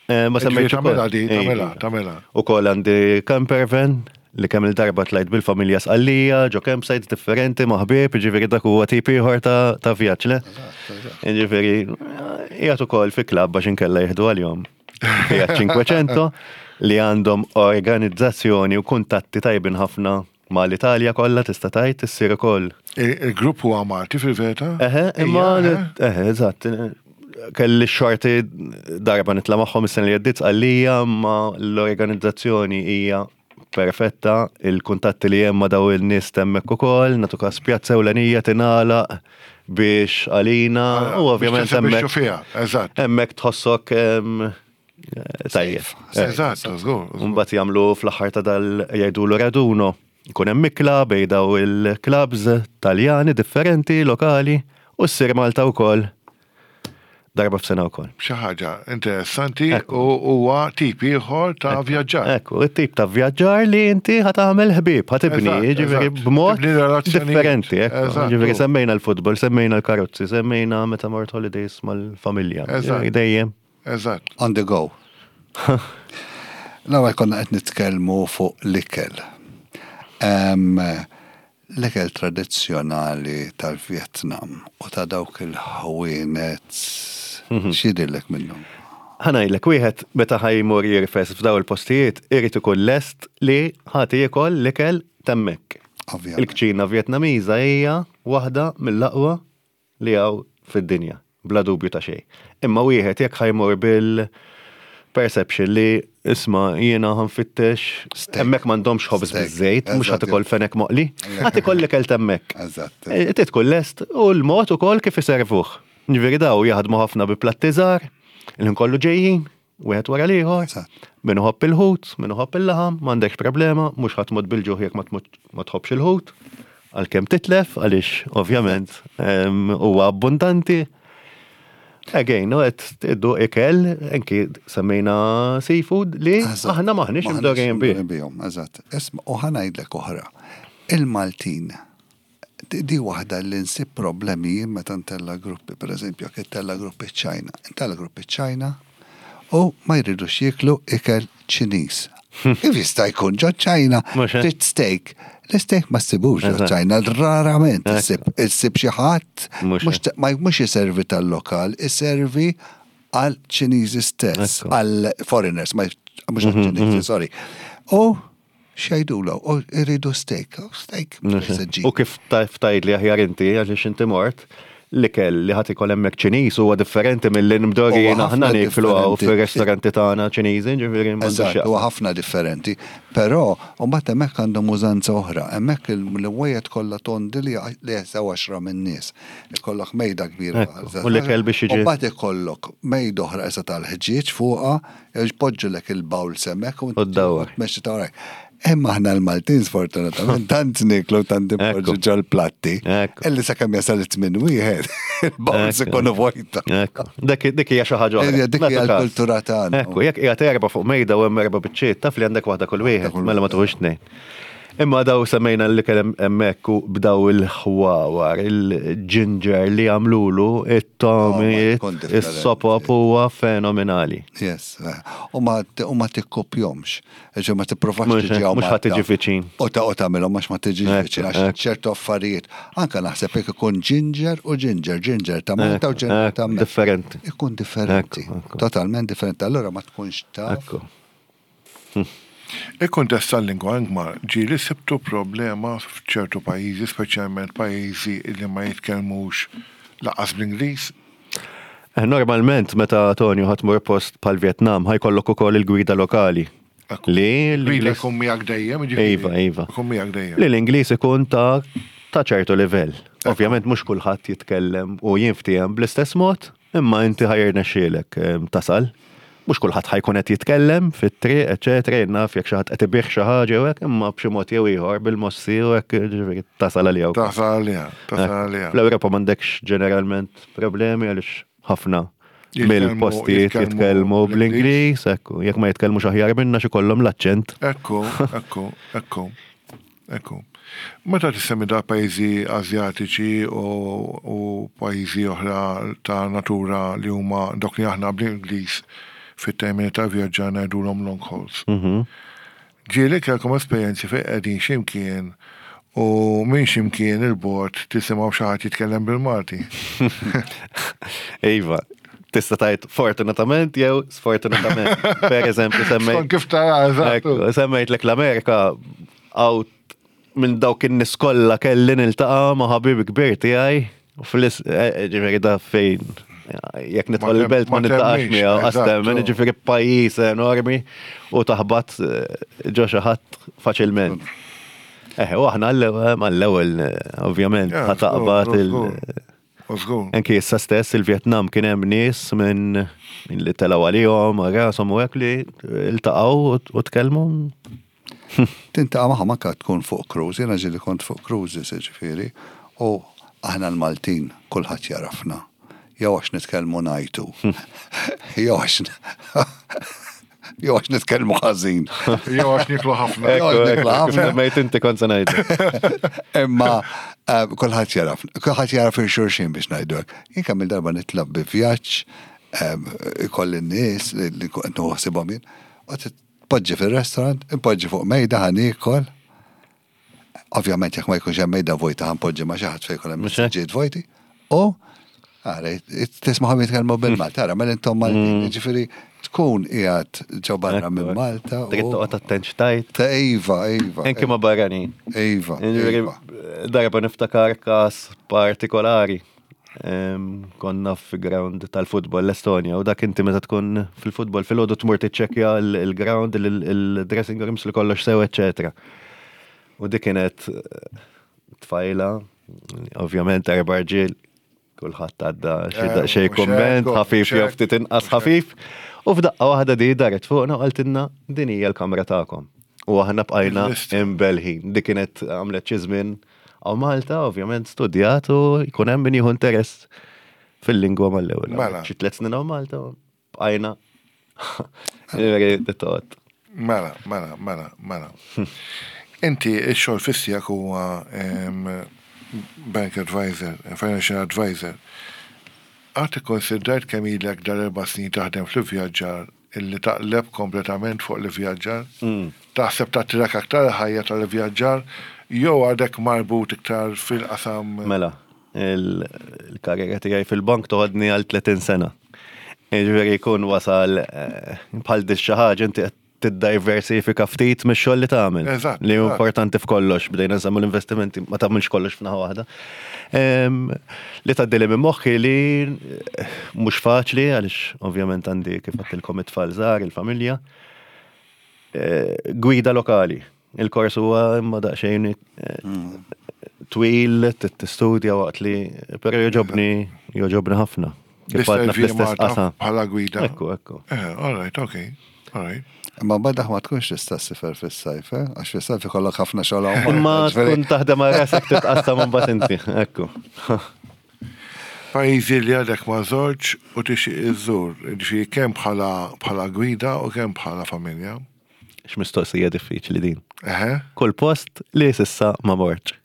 eh, ma
Ġifieri
semmejtx ukoll.
tagħmilha di, tagħmilha,
Ej.
tagħmilha.
Ukoll għandi camper van li kemm il-darba tlajt bil-familja Sqallija, ġo campsites differenti ma' ħbieb, ġifieri dak huwa tip ieħor ta' ta' vjaġġ, le? Ġifieri, qiegħed ukoll fi klabb għax inkella jieħdu għalihom. Fiat Cinquecento li għandhom organizzazzjoni u kuntatti tajbin ħafna mal-Italja kollha tista' tgħid issir ukoll.
Il- Il-grupp huwa Malti fil-verità?
Eħe, imma
Ija, eħe.
eħe, eżatt. Kelli xorti darba nitla' magħhom is-sena li għaddiet Sqallija, ma l-organizzazzjoni hija perfetta, il-kuntatti li hemm ma' daw il-nies hemmhekk ukoll, nagħtu każ pjazza ewlenija tingħalaq biex għalina u ovvjament
Biex tesebixxu
hemmhekk
fiha, eżatt.
hemmhekk tħossok em, tajjeb.
Eżatt, żgur. żgur.
Mbagħad jagħmlu fl-aħħar ta' dal jgħidulu raduno. Ikun hemm ikla bejn daw il-clubs Taljani differenti, lokali, u ssir Malta wkoll darba f'sena wkoll.
Xi ħaġa interessanti
Ekku.
u huwa tip ieħor ta' vjaġġar.
Ekku, it-tip ta' vjaġġar li inti ħa tagħmel ħbieb, ħa tibni,
Eżatt,
jiġifieri
eżatt.
b'mod
Tibni relazzjonijiet.
differenti, ekku.
Eżatt.
Jiġifieri semmejna l-futbol, semmejna l-karozzi, semmejna meta mort holidays mal-familja.
Eżatt.
Jiġifieri Dejjem.
Eżatt.
On the go. L-ewwel konna qed nitkellmu fuq l-ikel. Em, L-ikel tradizzjonali tal-Vietnam u ta' dawk il-ħwienet x'jidhirlek minnhom?
Ħa ngħidlek, wieħed meta ħa jmur jirfes f'daw il-postijiet, irid ikun lest li ħa jiekol l-ikel t'hemmhekk.
Ovvjament.
Il-kċina Vjetnamiża hija waħda mill-aqwa li hawn fid-dinja, bla dubju ta' xejn. Imma wieħed jekk ħa jmur bil-perception li isma' jiena ħa nfittex
Steak.
hemmhekk m'għandhomx ħobż
Steak.
biż-żejt, mhux
Eżatt.
ħa tikol fenek moqli, ħa tikol l-ikel t'hemmhekk.
Eżatt.
Eh, Trid tkun lest u l-mod ukoll kif iservuh. Ġifieri daw jaħdmu ħafna bi platti żgħar, il kollu ġejjin, wieħed wara l-ieħor.
Eżatt.
Min iħobb il-ħut, min iħobb il-laħam, m'għandekx problema, mhux ħa tmut bil-ġuħ jekk ma tmut- ma tħobbx il-ħut, għalkemm titlef, għaliex ovvjament em, huwa abbundanti. Again, no, qed iddu ikel, anki semmejna seafood li
Eżatt.
aħna maħniex imdorrijin bih.
bihom, eżatt. Isma' u ħa ngħidlek oħra. Il-Maltin, di, di waħda li nsib problemi jien meta ntella gruppi, per eżempju, jekk intella gruppi ċ-Ċina. Intella gruppi ċ-Ċina u ma jridux jieklu ikel Ċiniż. Kif jista' jkun ġo ċ-Ċina
Mhux hekk.
trid steak. L-steak ma ssibux ġo
Eżatt.
ċ-Ċina, rarament
Ekku.
issib issib xi ħadd
Mhux
mhux ta- ma mhux iservi tal-lokal, iservi għal Ċiniżi stess,
Ekku.
għal foreigners, ma mhux għal Ċiniżi, sorry. U x'jgħidulu, u jridu steak, u steak, mhux se ġib.
U kif taf tgħid li aħjar inti għaliex inti mort, l-ikel li ħa tikol hemmhekk Ċiniż huwa differenti mill-li mdorrijin
Huwa
aħna
ħafna
nieklu hawn
differenti.
fir-ristoranti tagħna Ċiniżi, ġifieri m'għandux
Eżatt,
x'jaqsam.
huwa ħafna differenti. Però, u mbagħad hemmhekk għandhom użanza oħra. Hemmhekk il-wejjed kollha tondi li li jesaw għaxra min-nies. Ikollok mejda kbira.
Ekku, u l-ikel biex jiġi-
U mbagħad ikollok mejda oħra issa tal-ħġieġ fuqha, jpoġġulek il-bowl hemmhekk
U ddawwar.
Meċi ta' warajk. Imma aħna l-Maltin sfortunatament tant niklu tant impoġġu
Ekku.
ġol-platti.
Ekku.
Illi sakemm jasal it-tmien wieħed, il-bowls
Ekku.
ikunu vojta.
Ekku, dik dik hija xi ħaġa oħra.
Ejja, dik hija
Nagħtu każ.
l-kultura tagħna.
Ekku, jekk qiegħed erba' fuq mejda u hemm erba' biċċiet, taf li għandek waħda kull wieħed,
kull
mela ma tuħux tnejn. Imma daw semmejna li kellem hemmhekk u bdaw il-ħwawar, il-ginger li għamlulu, it-tomiet,
Oh, ma tkun differenti.
is-sopop huwa fenomenali.
Yes, eh. u ma u ma tikkopjomx. Ġo ma tipprovax
Mhux-
tiġi hawn
mhux ħa
Malta.
tiġi viċin.
U ta' u tagħmilhom għax ma tiġi
Ekku,
viċin għax
ekku.
ċertu affarijiet. Anka naħseb jekk ikun ginger u ginger, ginger ta' Malta u
Ekku,
ginger ta'
ekku,
Malta.
differenti.
Ikun differenti.
Ekku, ekku.
Totalment differenti. Allora ma tkunx taf.
Ekku.
Il-kuntest tal-lingwa Ingmar ġieli sibtu problema f'ċertu pajjiżi, speċjalment pajjiżi li ma jitkellmux lanqas bl-Ingliż.
Eh, Normalment, meta Tonio ħa tmur post bħal Vietnam, ħa jkollok ukoll il-gwida lokali.
Ekku.
Li
Gwida
l-Ingliż-
jkun miegħek dejjem, jiġifieri.
Iva, iva.
Jkun miegħek dejjem.
Li l-Ingliż ikun ta' ta' ċertu livell. Ovvjament mhux kulħadd jitkellem u jinftiehem bl-istess mod, imma inti ħa jirnexxielek em, tasal. Mhux kulħadd ħa jkun qed jitkellem fit-triq, eċetera, jien naf jekk xi ħadd qed ibih xi ħaġa jew hekk, imma b'xi mod jew ieħor bil-mossi u hekk ġifieri tasal għalija. wkoll.
Tasal għalija, tasal għalija.
Fl-Ewropa m'għandekx ġeneralment problemi għaliex ħafna
Jitkellmu-
mill-postijiet
jitkellmu
jitkellmu bl-Ingliż, ekku, jekk ma jitkellmux aħjar minna xi kollhom l-aċċent.
Ekku, ekku, ekku, Ekku. Meta tissemmi da pajjiżi Azjatiċi u, u pajjiżi oħra ta' natura li huma dok li aħna bl-Ingliż fit-termini ta' vjaġġar ngħidulhom long hauls.
Mhm.
Ġieli kellkom esperjenzi fejn qegħdin x'imkien u minn x'imkien il-bogħod tisimgħu xi ħadd jitkellem bil-Malti.
Iva, tista' tgħid fortunatament jew sfortunatament. Per eżempju, semmejt
Skont kif tara, eżatt.
Ekku, semmejt l-Amerika għaw minn dawk in-nies kollha kelli niltaqa' ma' ħabib kbir tiegħi u fl-is eh, ġifieri da fejn jekk nidħol
Ma tem-
il-belt ma
ma
niltaqax
temmix,
miegħu
eżatt,
għastemmen,
u-
ġifieri pajjiż enormi u taħbat eh, ġo xi ħadd faċilment. Eh, u aħna għall-ewwel mal-ewwel eh, ovvjament
Ja,
ħataqbad
żgur,
il-
żgur. U żgur.
Anki issa stess il-Vietnam kien hemm nies minn minn li telgħu għalihom, rashom u hekk li iltaqgħu u tkellmu.
Tiltaqa' magħhom anke tkun fuq cruise, jiena ġieli kont fuq cruises ġifieri, u aħna l-Maltin kulħadd jarafna. Jew għax nitkellmu ngħajtu. Jew għax jew għax nitkellmu ħażin.
Jew għax niklu ħafna.
Jew għax niklu ħafna.
Semmejt inti kont se ngħidu.
Imma eh, kulħadd jaraf, kulħadd jaraf il-xulxin biex ngħidu hekk. Jien kemm il-darba nitlab bi vjaġġ, em, ikolli n-nies li li kont nħossibhom jien, u tpoġġi fil-restaurant, impoġġi fuq mejda ħa niekol. Ovvjament jekk ma jkunx hemm mejda vojta ħa npoġġi ma' xi ħadd fejn jkun hemm
Mhux hekk?
siġġiet vojti. U ara, tismagħhom jitkellmu bil-Malta, ara, mela intom Maltin, ġifieri tkun qiegħed ġo barra minn Malta.
Trid
u-
toqgħod attent x'tgħid.
Ta' Iva, Iva.
Anki ma' barranin.
Iva,
Ġifieri,
Iva.
Darba niftakar każ partikolari. Em, Konna fi ground tal-futbol l-Estonja u dak inti meta tkun fil-futbol fil-ħodu tmur tiċċekkja il-ground, il-dressing rooms li kollox sew, eccetera. U dik kienet eh, tfajla, ovvjament erba' rġiel, kulħadd għadda xi
Eh,
xi
mhux
kumment,
hekk,
ħafif
mhux
jew
hekk,
ftit inqas
mhux hekk.
ħafif. U f'daqqa waħda di daret fuqna u qaltilna din hija l-kamra tagħkom. U aħna bqajna
Il-lista.
imbelħin. Dik kienet għamlet xi żmien għaw Malta, ovvjament studjat u jkun hemm min jieħu interess fil-lingwa mal-ewwel.
Mela.
Xi tliet snin hawn Malta, u bqajna. Ġifieri, toqgħod.
Mela, mela, mela, mela. Inti ix-xogħol fiss tiegħek huwa em, bank advisor, financial advisor. Qatt ikkonsidrajt kemm ilek dal-erba' snin taħdem fl-vjaġġar illi taqleb kompletament fuq l-vjaġġar? Taħseb tattirak aktar ħajja tal-vjaġġar jew għadek marbut iktar fil-qasam?
Mela, il- il-karriera tiegħi fil-bank toħodni għal tletin sena. Jiġifieri jkun wasal eh, bħal di xi ħaġa inti qed tiddiversifika ftit mix-xogħol li tagħmel.
Eżatt,
Li hu
eżatt.
importanti f'kollox, bdejna nsemmu l-investimenti, ma tagħmilx kollox f'naħa waħda. Em, Li tgħaddili minn moħħi li eh, mhux faċli għaliex ovvjament għandi kif għedtilkom it-tfal żgħar, il-familja. Eh, Gwida lokali. Il-kors huwa imma daqsxejn eh, twil, tistudja waqt li, però joġobni, joġobni ħafna. Kif għadna
Tisservi
fl-istess
Malta
qasam.
bħala gwida.
Ekku, ekku.
Eh, all right, okay, all right.
Imma mbagħad ma tkunx tista' ssifer fis-sajf, eh? Għax fis-sajf ikollok ħafna xogħol hawn
Imma
Malta, ġifieri-
tkun taħdem għal rasek titqassam mbagħad inti, ekku.
Pajjiżi li għadek ma żortx u tixtieq iżżur, ġifieri kemm bħala bħala gwida u kemm bħala familja.
X'mistoqsija diffiċli din.
Eħe,
Kull post li s'issa ma mortx.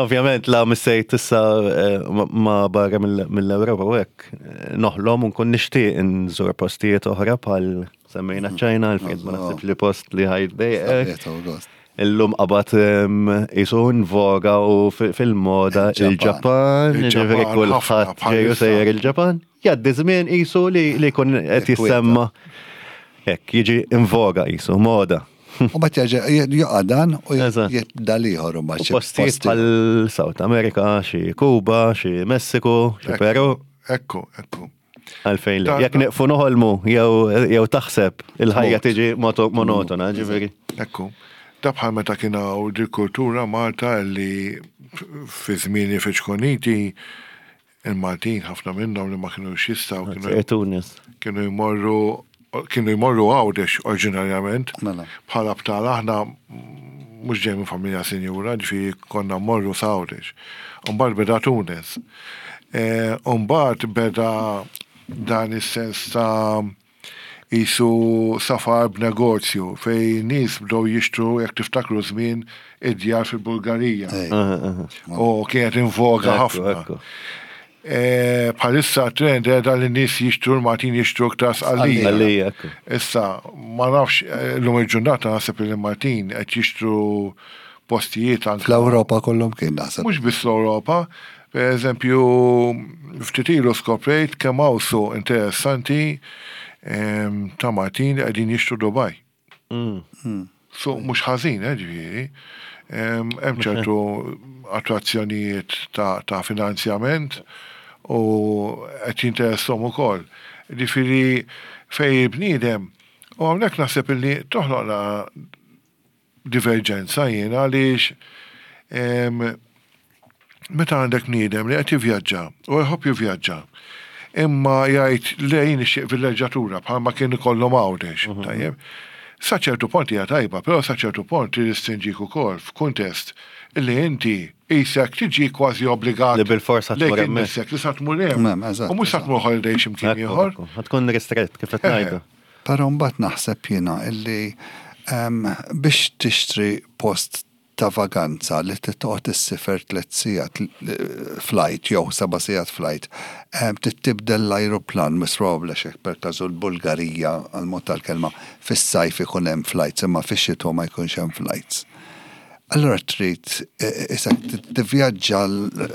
Ovvjament la missejt issa eh, ma- ma barra mill- mill-Ewropa u hekk eh, noħlom u nkun nixtieq nżur postijiet oħra bħal semmejna ċ-Ċina, għalfejn ma naħsibx li post li ħajdejqek.
Sabiet u gost.
Illum qabad em, jisu voga u fi- fil-moda
Il-Ġapan.
il-Ġapan,
Il-Ġapan,
ġifieri
ħafna
kulħadd ġeju
bħalissa.
sejjer il-Ġapan. Jgħaddi żmien jisu li li jkun qed
Ikwieta.
jissemma. Hekk, jiġi in voga jisu, moda.
U mbagħad jerġa' jaqa' dan u
Eżatt.
jibda l-ieħor u mbagħad
U
xi
postijiet bħal South America, xi Kuba, xi Messiku, xi
Ekku.
Peru,
ekku, ekku.
għalfejn li.
Ta-
Jekk nieqfu noħolmu jew jew taħseb il-ħajja
Mod.
tiġi moto- monotona, ġifieri.
Ekku. Da bħal meta kien hawn di kultura Malta li fi żmieni fi ċkoniti il-Maltin ħafna minnhom li ma kienu jistgħu kienu
Tunis.
kienu jmorru kienu jmorru Għawdex oriġinarjament.
Mela.
Bħala btala aħna mhux ġej minn familja sinjura, ġifieri konna mmorru s'Għawdex. Umbagħad beda Tunis. E, Umbagħad beda dan is-sens ta' Isu safar b'negozju fejn nies bdew jixtru, jekk tiftakru, żmien id-djar fil-Bulgarija. U kienet in voga ħafna. E, bħalissa trend għedha li nies jixtru, l-Maltin jixtru iktar Sqallija. Issa, ma nafx, eh, l-lum il-ġurnata naħseb li l-Maltin qed jixtru postijiet anke.
Fl-Ewropa kollhom kien naħseb.
Mhux biss l-Ewropa, per eżempju, ftit ilu skoprejt kemm hawn suq interessanti em, ta' Maltin li qegħdin jixtru Dubai.
Mm.
Suq mhux ħażin, eh, ġifieri. Em, Hemm ċertu attrazzjonijiet ta', ta' finanzjament u qed jinteressom ukoll. Ġifieri fejn il-bniedem u hawnhekk naħseb illi toħloqna diverġenza jiena għaliex em, meta għandek bniedem li qed jivvjaġġa u jħobb jivvjaġġa, imma jgħid le, jien nixtieq villeġġatura bħalma kien ikollhom Għawdex, tajjeb. Sa ċertu punt hija tajba, però sa ċertu punt tirrestrinġik ukoll f'kuntest illi inti qisek tiġi kważi obbligat
Li bil-forsa tmur
lejk
hemmhekk.
innifsek li sa tmur hemm.
Mem, eżatt,
U mhux sa
eżatt.
tmur holiday x'imkien
Ekku,
ieħor.
ekku. Ħa tkun ristrett kif qed ngħidu.
Però mbagħad naħseb jiena illi em, biex tixtri post ta' vaganza li titqgħod issiefer tliet sigħat flight jew seba' sigħat flight, em, tibdel l-ajruplan, most probably xek per każu l-Bulgarija, għal-mod tal-kelma, fis-sajf ikun hemm flights, imma fix-xitwa ma jkunx hemm flights. Allora trid issa tivvjaġġa,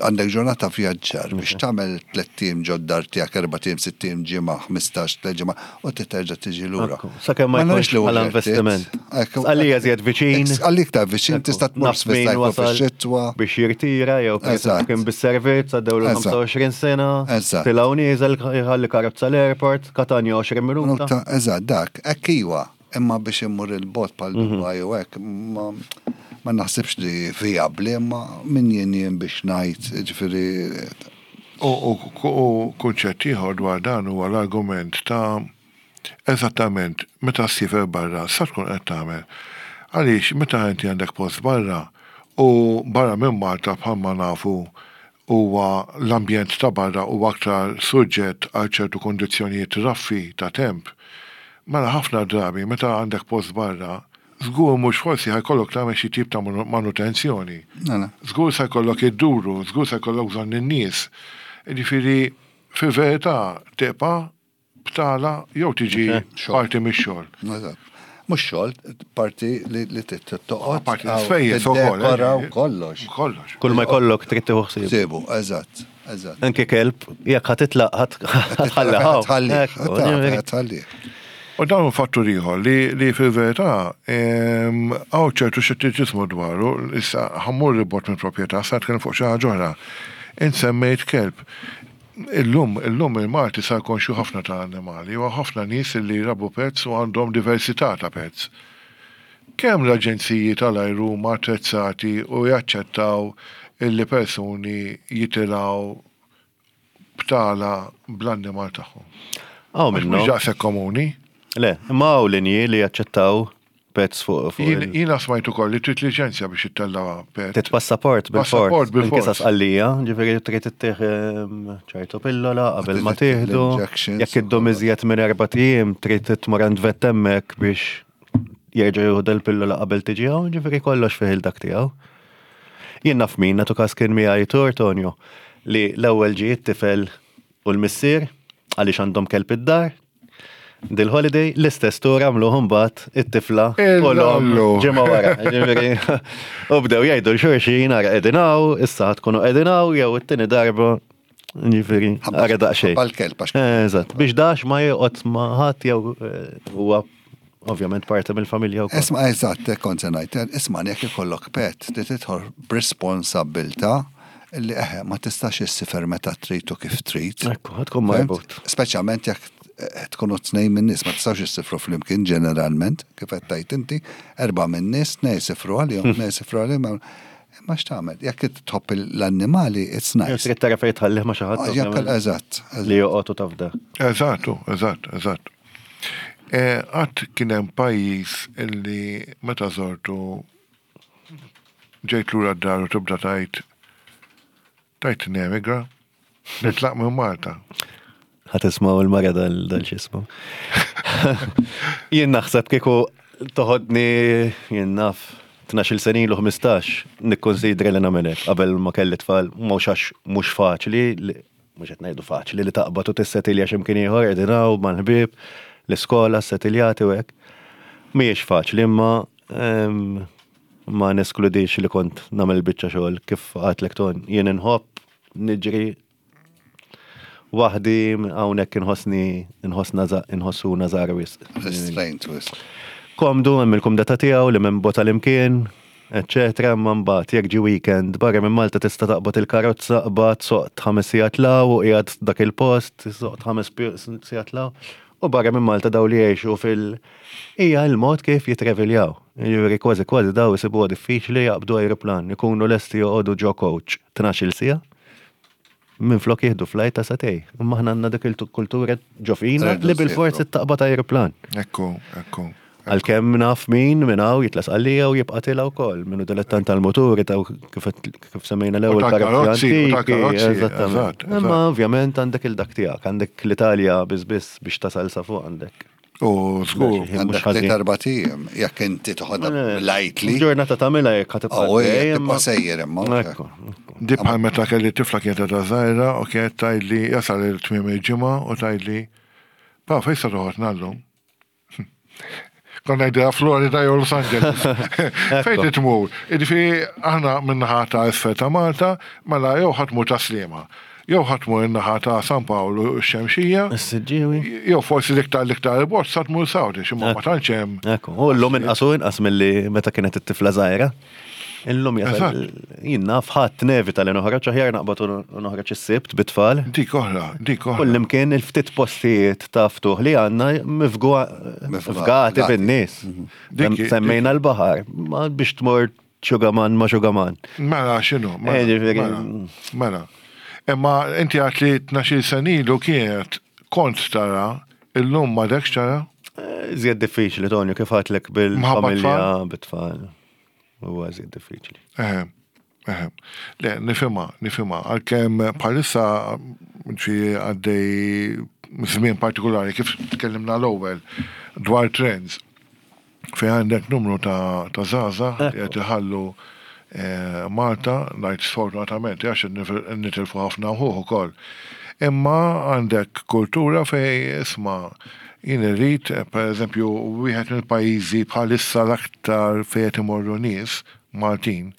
għandek ġurnata vjaġġar biex tagħmel tlett ijiem ġod-dar tiegħek, erbat ijiem, sitt ijiem, ġimgħa, ħmistax, tliet ġimgħa u terġa' tiġi lura.
Ekku, sakemm ma
nafx
jkunx
li
bħala
worth it.
investiment.
Ekku,
Għalija żjed viċin.
Għalik ta' viċin tista' tmur
Naf min
fis-sajf u
wasal
fix-xitwa.
biex jirtira jew per
Eżatt.
eżempju kien bis-servizz għaddew
Eżatt.
ħamsa u għoxrin sena.
Eżatt.
Tilgħu nieżel jħalli karozza l-airport, Katanja għoxrin minuta.
Minuta, eżatt, dak, hekk iwa, imma biex immur il-bogħod bħal
Mhm.
Dubai u hekk, ma ma naħsibx li viabli, imma min jien jien biex ngħid, ġifieri.
U, u, u kunċett ieħor dwar dan huwa l-argument ta' eżattament meta ssiefer barra sa tkun qed tagħmel. Għaliex meta inti għandek post barra u barra minn Malta, bħalma nafu huwa l-ambjent ta' barra huwa aktar suġġett għal ċertu kondizzjonijiet raffi ta' temp. Mela ħafna drabi meta għandek post barra, żgur mhux forsi ħa jkollok tagħmel xi tip ta' manu- manutenzjoni.
Mela.
Żgur se jkollok idduru, żgur se jkollok bżonn in-nies. Ġifieri fil-verità tibqa' btala jew tiġi
Xogħol.
parti mix-xogħol.
Eżatt. Mhux xogħol, parti li li toqgħod.
Parti l-ispejjeż ukoll, eh,
Tiddekora u kollox.
Kollox.
Kull ma jkollok trid tieħu ħsieb.
Sibu, eżatt, eżatt.
Anke kelb, jekk ħa titlaq ħa tħalli.
Tħalli, tħalli.
U dawn fattur ieħor li, li fil-verità em, hawn ċertu xettiċiżmu dwaru, issa ħa mmur 'il bogħod minn proprjetà, sa nitkellem fuq xi ħaġa oħra. Int semmejt kelb. Illum, illum il-Malti sar konxju ħafna ta' annimali, u ħafna nies li jrabbu pets u għandhom diversità ta' pets. Kemm l-aġenziji tal-ajru huma attrezzati u jaċċettaw illi persuni jitilgħu btala bl-annimal tagħhom?
Hawn
Mhux
minnu.
mhux daqshekk komuni.
Le, imma hawn linji li jaċċettaw pets fuq fuq
Jien
il-
jiena smajt ukoll li trid liċenzja biex ittella' pet.
Trid passaport bil-fors.
Passaport bil-fors.
Anke sa Sqallija, ġifieri trid ittieħ ehm, ċertu pillola qabel ma tieħdu.
L-injections.
Jekk iddum iżjed minn erba' ijiem trid tmur għand vet hemmhekk biex jerġa' jieħu del-pillola qabel tiġi hawn, ġifieri kollox fih il-dak tiegħu. Jien naf min, natu każ kien miegħi tur Tonio, li l-ewwel ġie t-tifel u l-missier għaliex għandhom kelb id-dar. Dil-holiday l-istess tur għamluh mbagħad it-tifla u l-omm
Illallu.
ġimgħa wara. Ġifieri, u bdew jgħidu l-xulxin, ara qegħdin hawn, issa ħa tkunu qegħdin hawn jew it-tieni darba. Ġifieri, ara daqsxejn.
Bal-kelb, għax
Eżatt, biex dax ma joqgħod ma ħadd jew eh, huwa ovvjament parti mill-familja wkoll.
Isma, eżatt, kont se ngħid, isma' jekk ikollok pet, ti tidħol b'responsabbiltà li eħe ma tistax issiefer meta trid u kif trid.
Ekku, ħa tkun marbut.
Fhimt? Speċjalment jekk eh, tkunu tnejn minn nies, ma tistax issifru flimkien ġeneralment, kif qed tgħid inti, erba' minn nies, tnejn jsifru għalihom, tnejn jsifru għalihom. Ma x'tagħmel, jekk tħobb l-annimali, it's
Jew
nice.
trid tara fejn tħallih ma' xi ħadd.
Ah, Jekk
ovvjament,
eżatt.
li joqgħod u tafda.
Eżattu, eżatt, eżatt. Qatt kien hemm pajjiż illi meta żortu ġejt lura d-dar u tibda tgħid tgħid nemigra, nitlaq minn Malta?
Ħa tismgħu il-mara dal dal x'ismu. Jien naħseb kieku toħodni, jien naf, tnax-il sena ilu, ħmistax, nikkonsidra li nagħmel hekk qabel ma kelli tfal, mhux għax mhux faċli, li- mhux qed ngħidu faċli li taqbad u tissetilja x'imkien ieħor, qegħdin hawn mal-ħbieb, l-iskola, setiljati u hekk. Mhijiex faċli, imma em, ma neskludix li kont nagħmel biċċa xogħol kif għedtlek, Ton, jien inħobb niġri waħdi, hawnhekk inħossni inħossna inħossuna żgħar wisq.
Restraint wisq.
Komdu, hemm il-kumdità tiegħu li minn bota l-imkien, eccetera, imma mbagħad jekk ġi weekend barra minn Malta tista' taqbad il-karozza, qbad soqt ħames sigħat law u qiegħed dak il-post, soqt ħames pi- sigħat law. U barra minn Malta daw li jgħixu fil- hija l-mod kif jitreviljaw. Jiġifieri kważi kważi daw isibuha diffiċli jaqbdu aeroplan, ikunu lesti joqogħdu ġo coach tnax-il siegħa minn flok jieħdu flight ta' sagħtejn. Imma aħna għandna dik il-kultura ġo fina
Rridu
li bil-forzi
nsifru.
taqbad aeroplan.
Ekku, ekku.
Għalkemm naf min minn hawn jitla' Sqallija u jibqa' tilgħa wkoll, minnu dilettant tal-moturi ta' kif kif semmejna l-ewwel
U tal-karozzi, u tal-karozzi,
eżattament.
eżatt, eżatt.
Imma ovvjament għandek il-dak tiegħek, għandek l-Italja biss biss biex tasal sa fuq għandek.
U żgur.
Mhux
Għandek
ħażin.
tliet erbat ijiem, jekk inti toħodha lightly.
Ġurnata tagħmilha jekk ħa tibqa'
Oh, jekk
għaddej,
tibqa'
imma-
sejjer imma.
Ekku, ekku.
Di bħal meta kelli tifla kienet ta' żgħira u kienet tgħidli jasal il-tmiem il-ġimgħa u tgħidli: "Pa, fejn se toħodna llum?" Konna ngħidilha Florida jew Los Angeles. Fejn tmur? Jiġifieri aħna min-naħa ta' isfel ta' Malta, mela jew ħa tmur ta' Sliema, jew ħa tmur in-naħa ta' San Paolo x-Xemxija,
Is-Siġġiewi.
jew forsi l-iktar l-iktar il-bogħod sa tmur Saudi, x'imma ma tantx hemm.
Ekku, u llum inqas u inqas milli meta kienet it-tifla żgħira. Illum jasal, jien naf ħadd nevita li noħroġ, aħjar naqbad u noħroġ is-Sibt bit-tfal.
Dik oħra, dik oħra.
Kullimkien il-ftit postijiet ta' ftuħ li għandna mifgati bin-nies.
Dik-
Semmejna l-baħar, ma biex tmur xugaman ma xugaman.
Mela, x'inhu? Mela,
Eh, ġifieri-
mela, mela. Imma inti għedt li tnax-il sena ilu kienet kont tara, illum m'għadekx tara?
Żjed diffiċli, Tonio, kif għedtlek bil-familja, bit-tfal. Huwa żjed diffiċli.
Eħe, eħe. Le, nifhimha, nifhimha. Għalkemm bħalissa ġi għaddej żmien partikolari, kif tkellimna l-ewwel dwar trends, fejn għandek numru ta' ta' żgħażagħ li qed iħallu eh, Malta, ngħid sfortunatament, għax nitilfu ħafna uħuħ ukoll. Imma għandek kultura fejn isma' jien irrid, per eżempju, wieħed mill-pajjiżi bħalissa l-aktar fejn qed imorru nies Maltin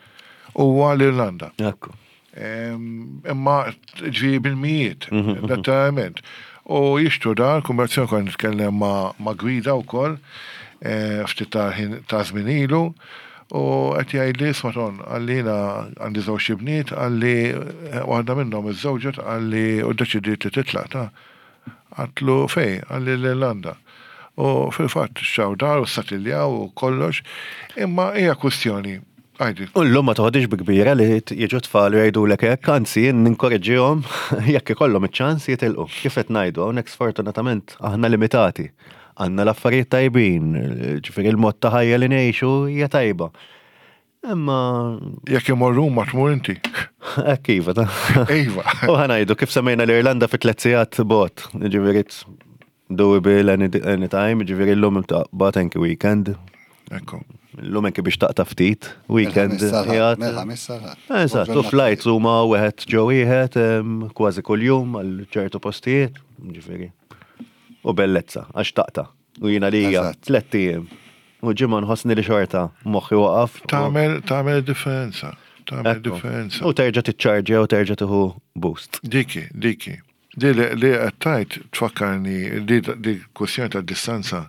huwa l-Irlanda.
Ekku.
Em, Imma ġi bil-mijiet, letteralment. U jixtru dar, kummerċjon kon nitkellem ma, ma gwida u koll, ftit ta' ħin- ta' żmien ilu, u qed jgħidli: "Isma' Ton," qalli, "jiena għandi żewġ ibniet," qalli, "waħda minnhom iżżewġet," qalli, "u ddeċidiet li titlaq ta'." Għedtlu: "Fejn?" Qalli: "L-Irlanda." U fil-fatt xtraw dar u ssatiljaw u kollox, imma hija kwistjoni. Għajdi.
U llum ma toħodix bi kbira li jiġu tfal u jgħidulek hekk, anzi jien ninkoreġġihom jekk ikollhom iċ-ċans jitilqu. Kif qed ngħidu, hawnhekk sfortunatament aħna limitati. Għandna l-affarijiet tajbin, ġifieri il-mod ta' ħajja li ngħixu hija tajba. Imma
Jekk imorru ma tmur inti.
Hekk iva ta'
Iva.
U ħa ngħidu kif semmejna l-Irlanda fi tliet sigħat bot, ġifieri it's doable any, anytime, ġifieri llum taqbad anki weekend.
Ekku.
Illum anki biex taqta' ftit, weekend. qiegħed-
Mill-Ħamis sal-Ħadd.
Eżatt, u flights huma wieħed ġo wieħed em, kważi kuljum għal ċertu postijiet, ġifieri. U bellezza, għax taqta'. U jiena li hija
Eżatt.
tlett ijiem. U ġimgħa nħossni li xorta moħħi waqaf. u-
Tagħmel tagħmel differenza. Tagħmel
Ekku.
differenza.
U terġa' tiċċarġja u terġa' tieħu boost.
Diki, diki. Di li li qed tgħid tfakkarni di di kwestjoni ta' distanza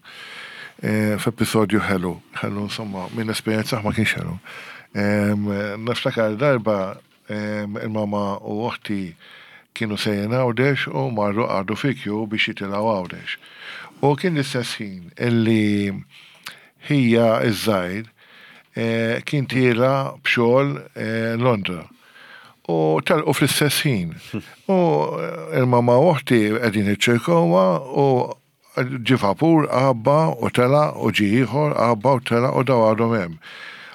eh, f'episodju ħelu, ħelu insomma, minn esperjenza ma kienx ħelu. Em, Niftakar darba em, il-mama u oħti kienu sejrin Għawdex u marru qagħdu fi queue biex jitilgħu Għawdex. U kien l-istess ħin illi ħija iż-żgħir eh, kien tiela' b'xogħol eh, Londra. U telqu fl-istess ħin. U eh, il-mama u oħti qegħdin iċ-Ċirkewwa u ġi vapur għabba u tela u ġi ieħor għabba u tela u daw għadhom hemm.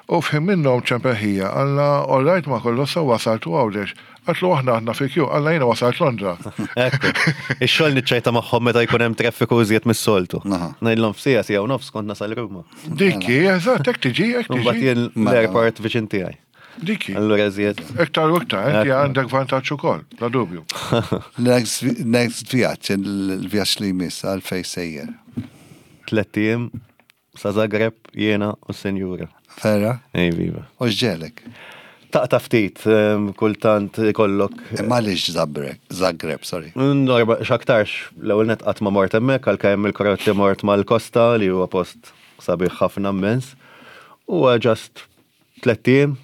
U f'ħin minnhom ċempel ħija, qalilha, "All right, ma kollox sew, wasaltu Għawdex?" Qaltlu, "Aħna aħna fi queue." Qalilha, "Jiena wasalt Londra."
Ekku. Ix-xogħol niċċajta magħhom meta jkun hemm traffiku iżjed mis-soltu.
Aha.
Ngħidlhom f'siegħa, siegħa u nofs kont nasal Ruma.
Dikki, eżatt, hekk tiġi, hekk
Mbagħad
tiġi.
jien l-airport viċin tiegħi.
Dikki.
Allura iżjed.
Iktar u iktar, inti
Ekku.
għandek vantaġġ ukoll, bla dubju.
Next next vjaġġ, il-vjaġġ li jmiss, għalfejn sejjer?
Tlett ijiem sa Zagreb, jiena u s-senjura.
Vera?
Ej, viva.
U x'ġegħlek?
Taqta ftit, em, kultant ikollok.
Imma għaliex Zagreb, Zagreb, sorry.
Norba, xaktarx, l-ewwel net qatt ma mort hemmhekk, għalkemm il-Kroatja mort mal-Kosta li huwa post sabiħ ħafna immens. U just tlett ijiem.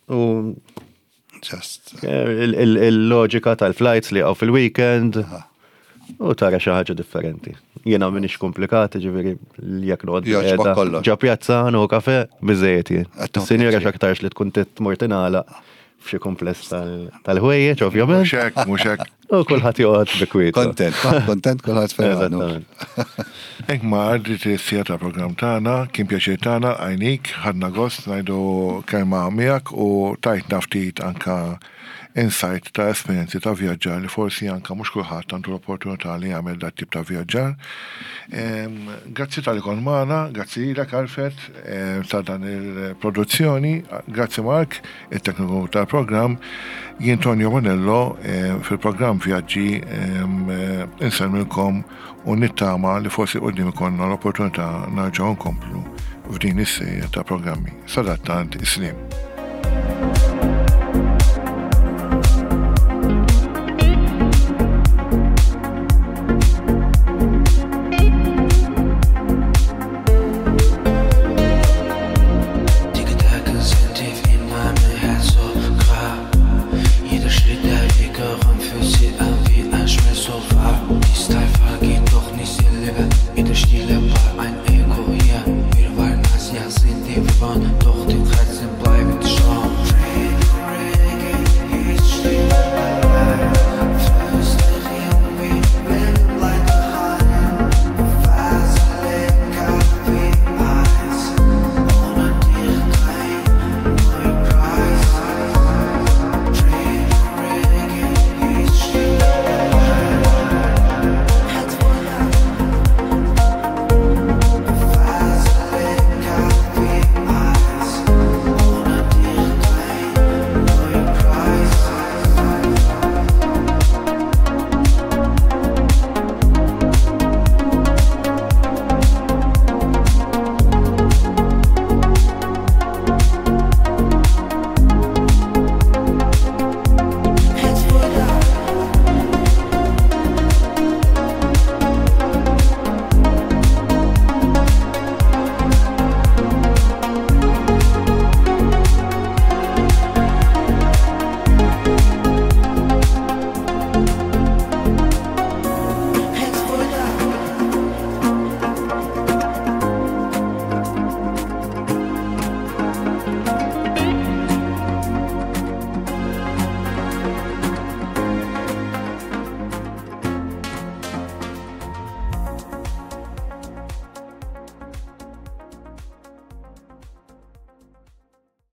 U
Just.
il- il- il-loġika tal-flights li għaw fil-weekend u tara xi ħaġa differenti. Jiena m'iniex komplikati, ġifieri jekk noqgħod
Jogħġbok
qiegħda
kollox.
ġo pjazza nieħu kafe biżejjed jien.
Qed tieħu
Sinjura
pjaċir.
x'aktarx li tkun tmur tingħalaq f'xi kumpless tal- tal-ħwejjeġ ovvjament.
Mhux hekk, mhux hekk.
U kulħadd joqgħod bi kwietu.
Kontent, kontent kulħadd ferħan.
Eżattament.
Ingmar, għaddiet is-siegħa tal-programm tagħna, kien pjaċir tagħna għajnik, ħadna gost ngħidu kelma miegħek u tajtna ftit anka insight ta' esperjenzi ta' vjaġġar li forsi anka mhux kulħadd għandu l-opportunità li jagħmel dat tip ta' vjaġġar. Em, Grazzi talli kont magħna, grazzi lilek, Alfred, em, ta' dan il-produzzjoni, grazzi Mark, il-tekniku tal-programm, jien Tonio Bonello em, fil-programm Vjaġġi em, eh, insellmilkom u nittama li forsi quddiem ikollna l-opportunità nerġgħu nkomplu f'din is-serje ta' programmi. Sadattant, is-sliem.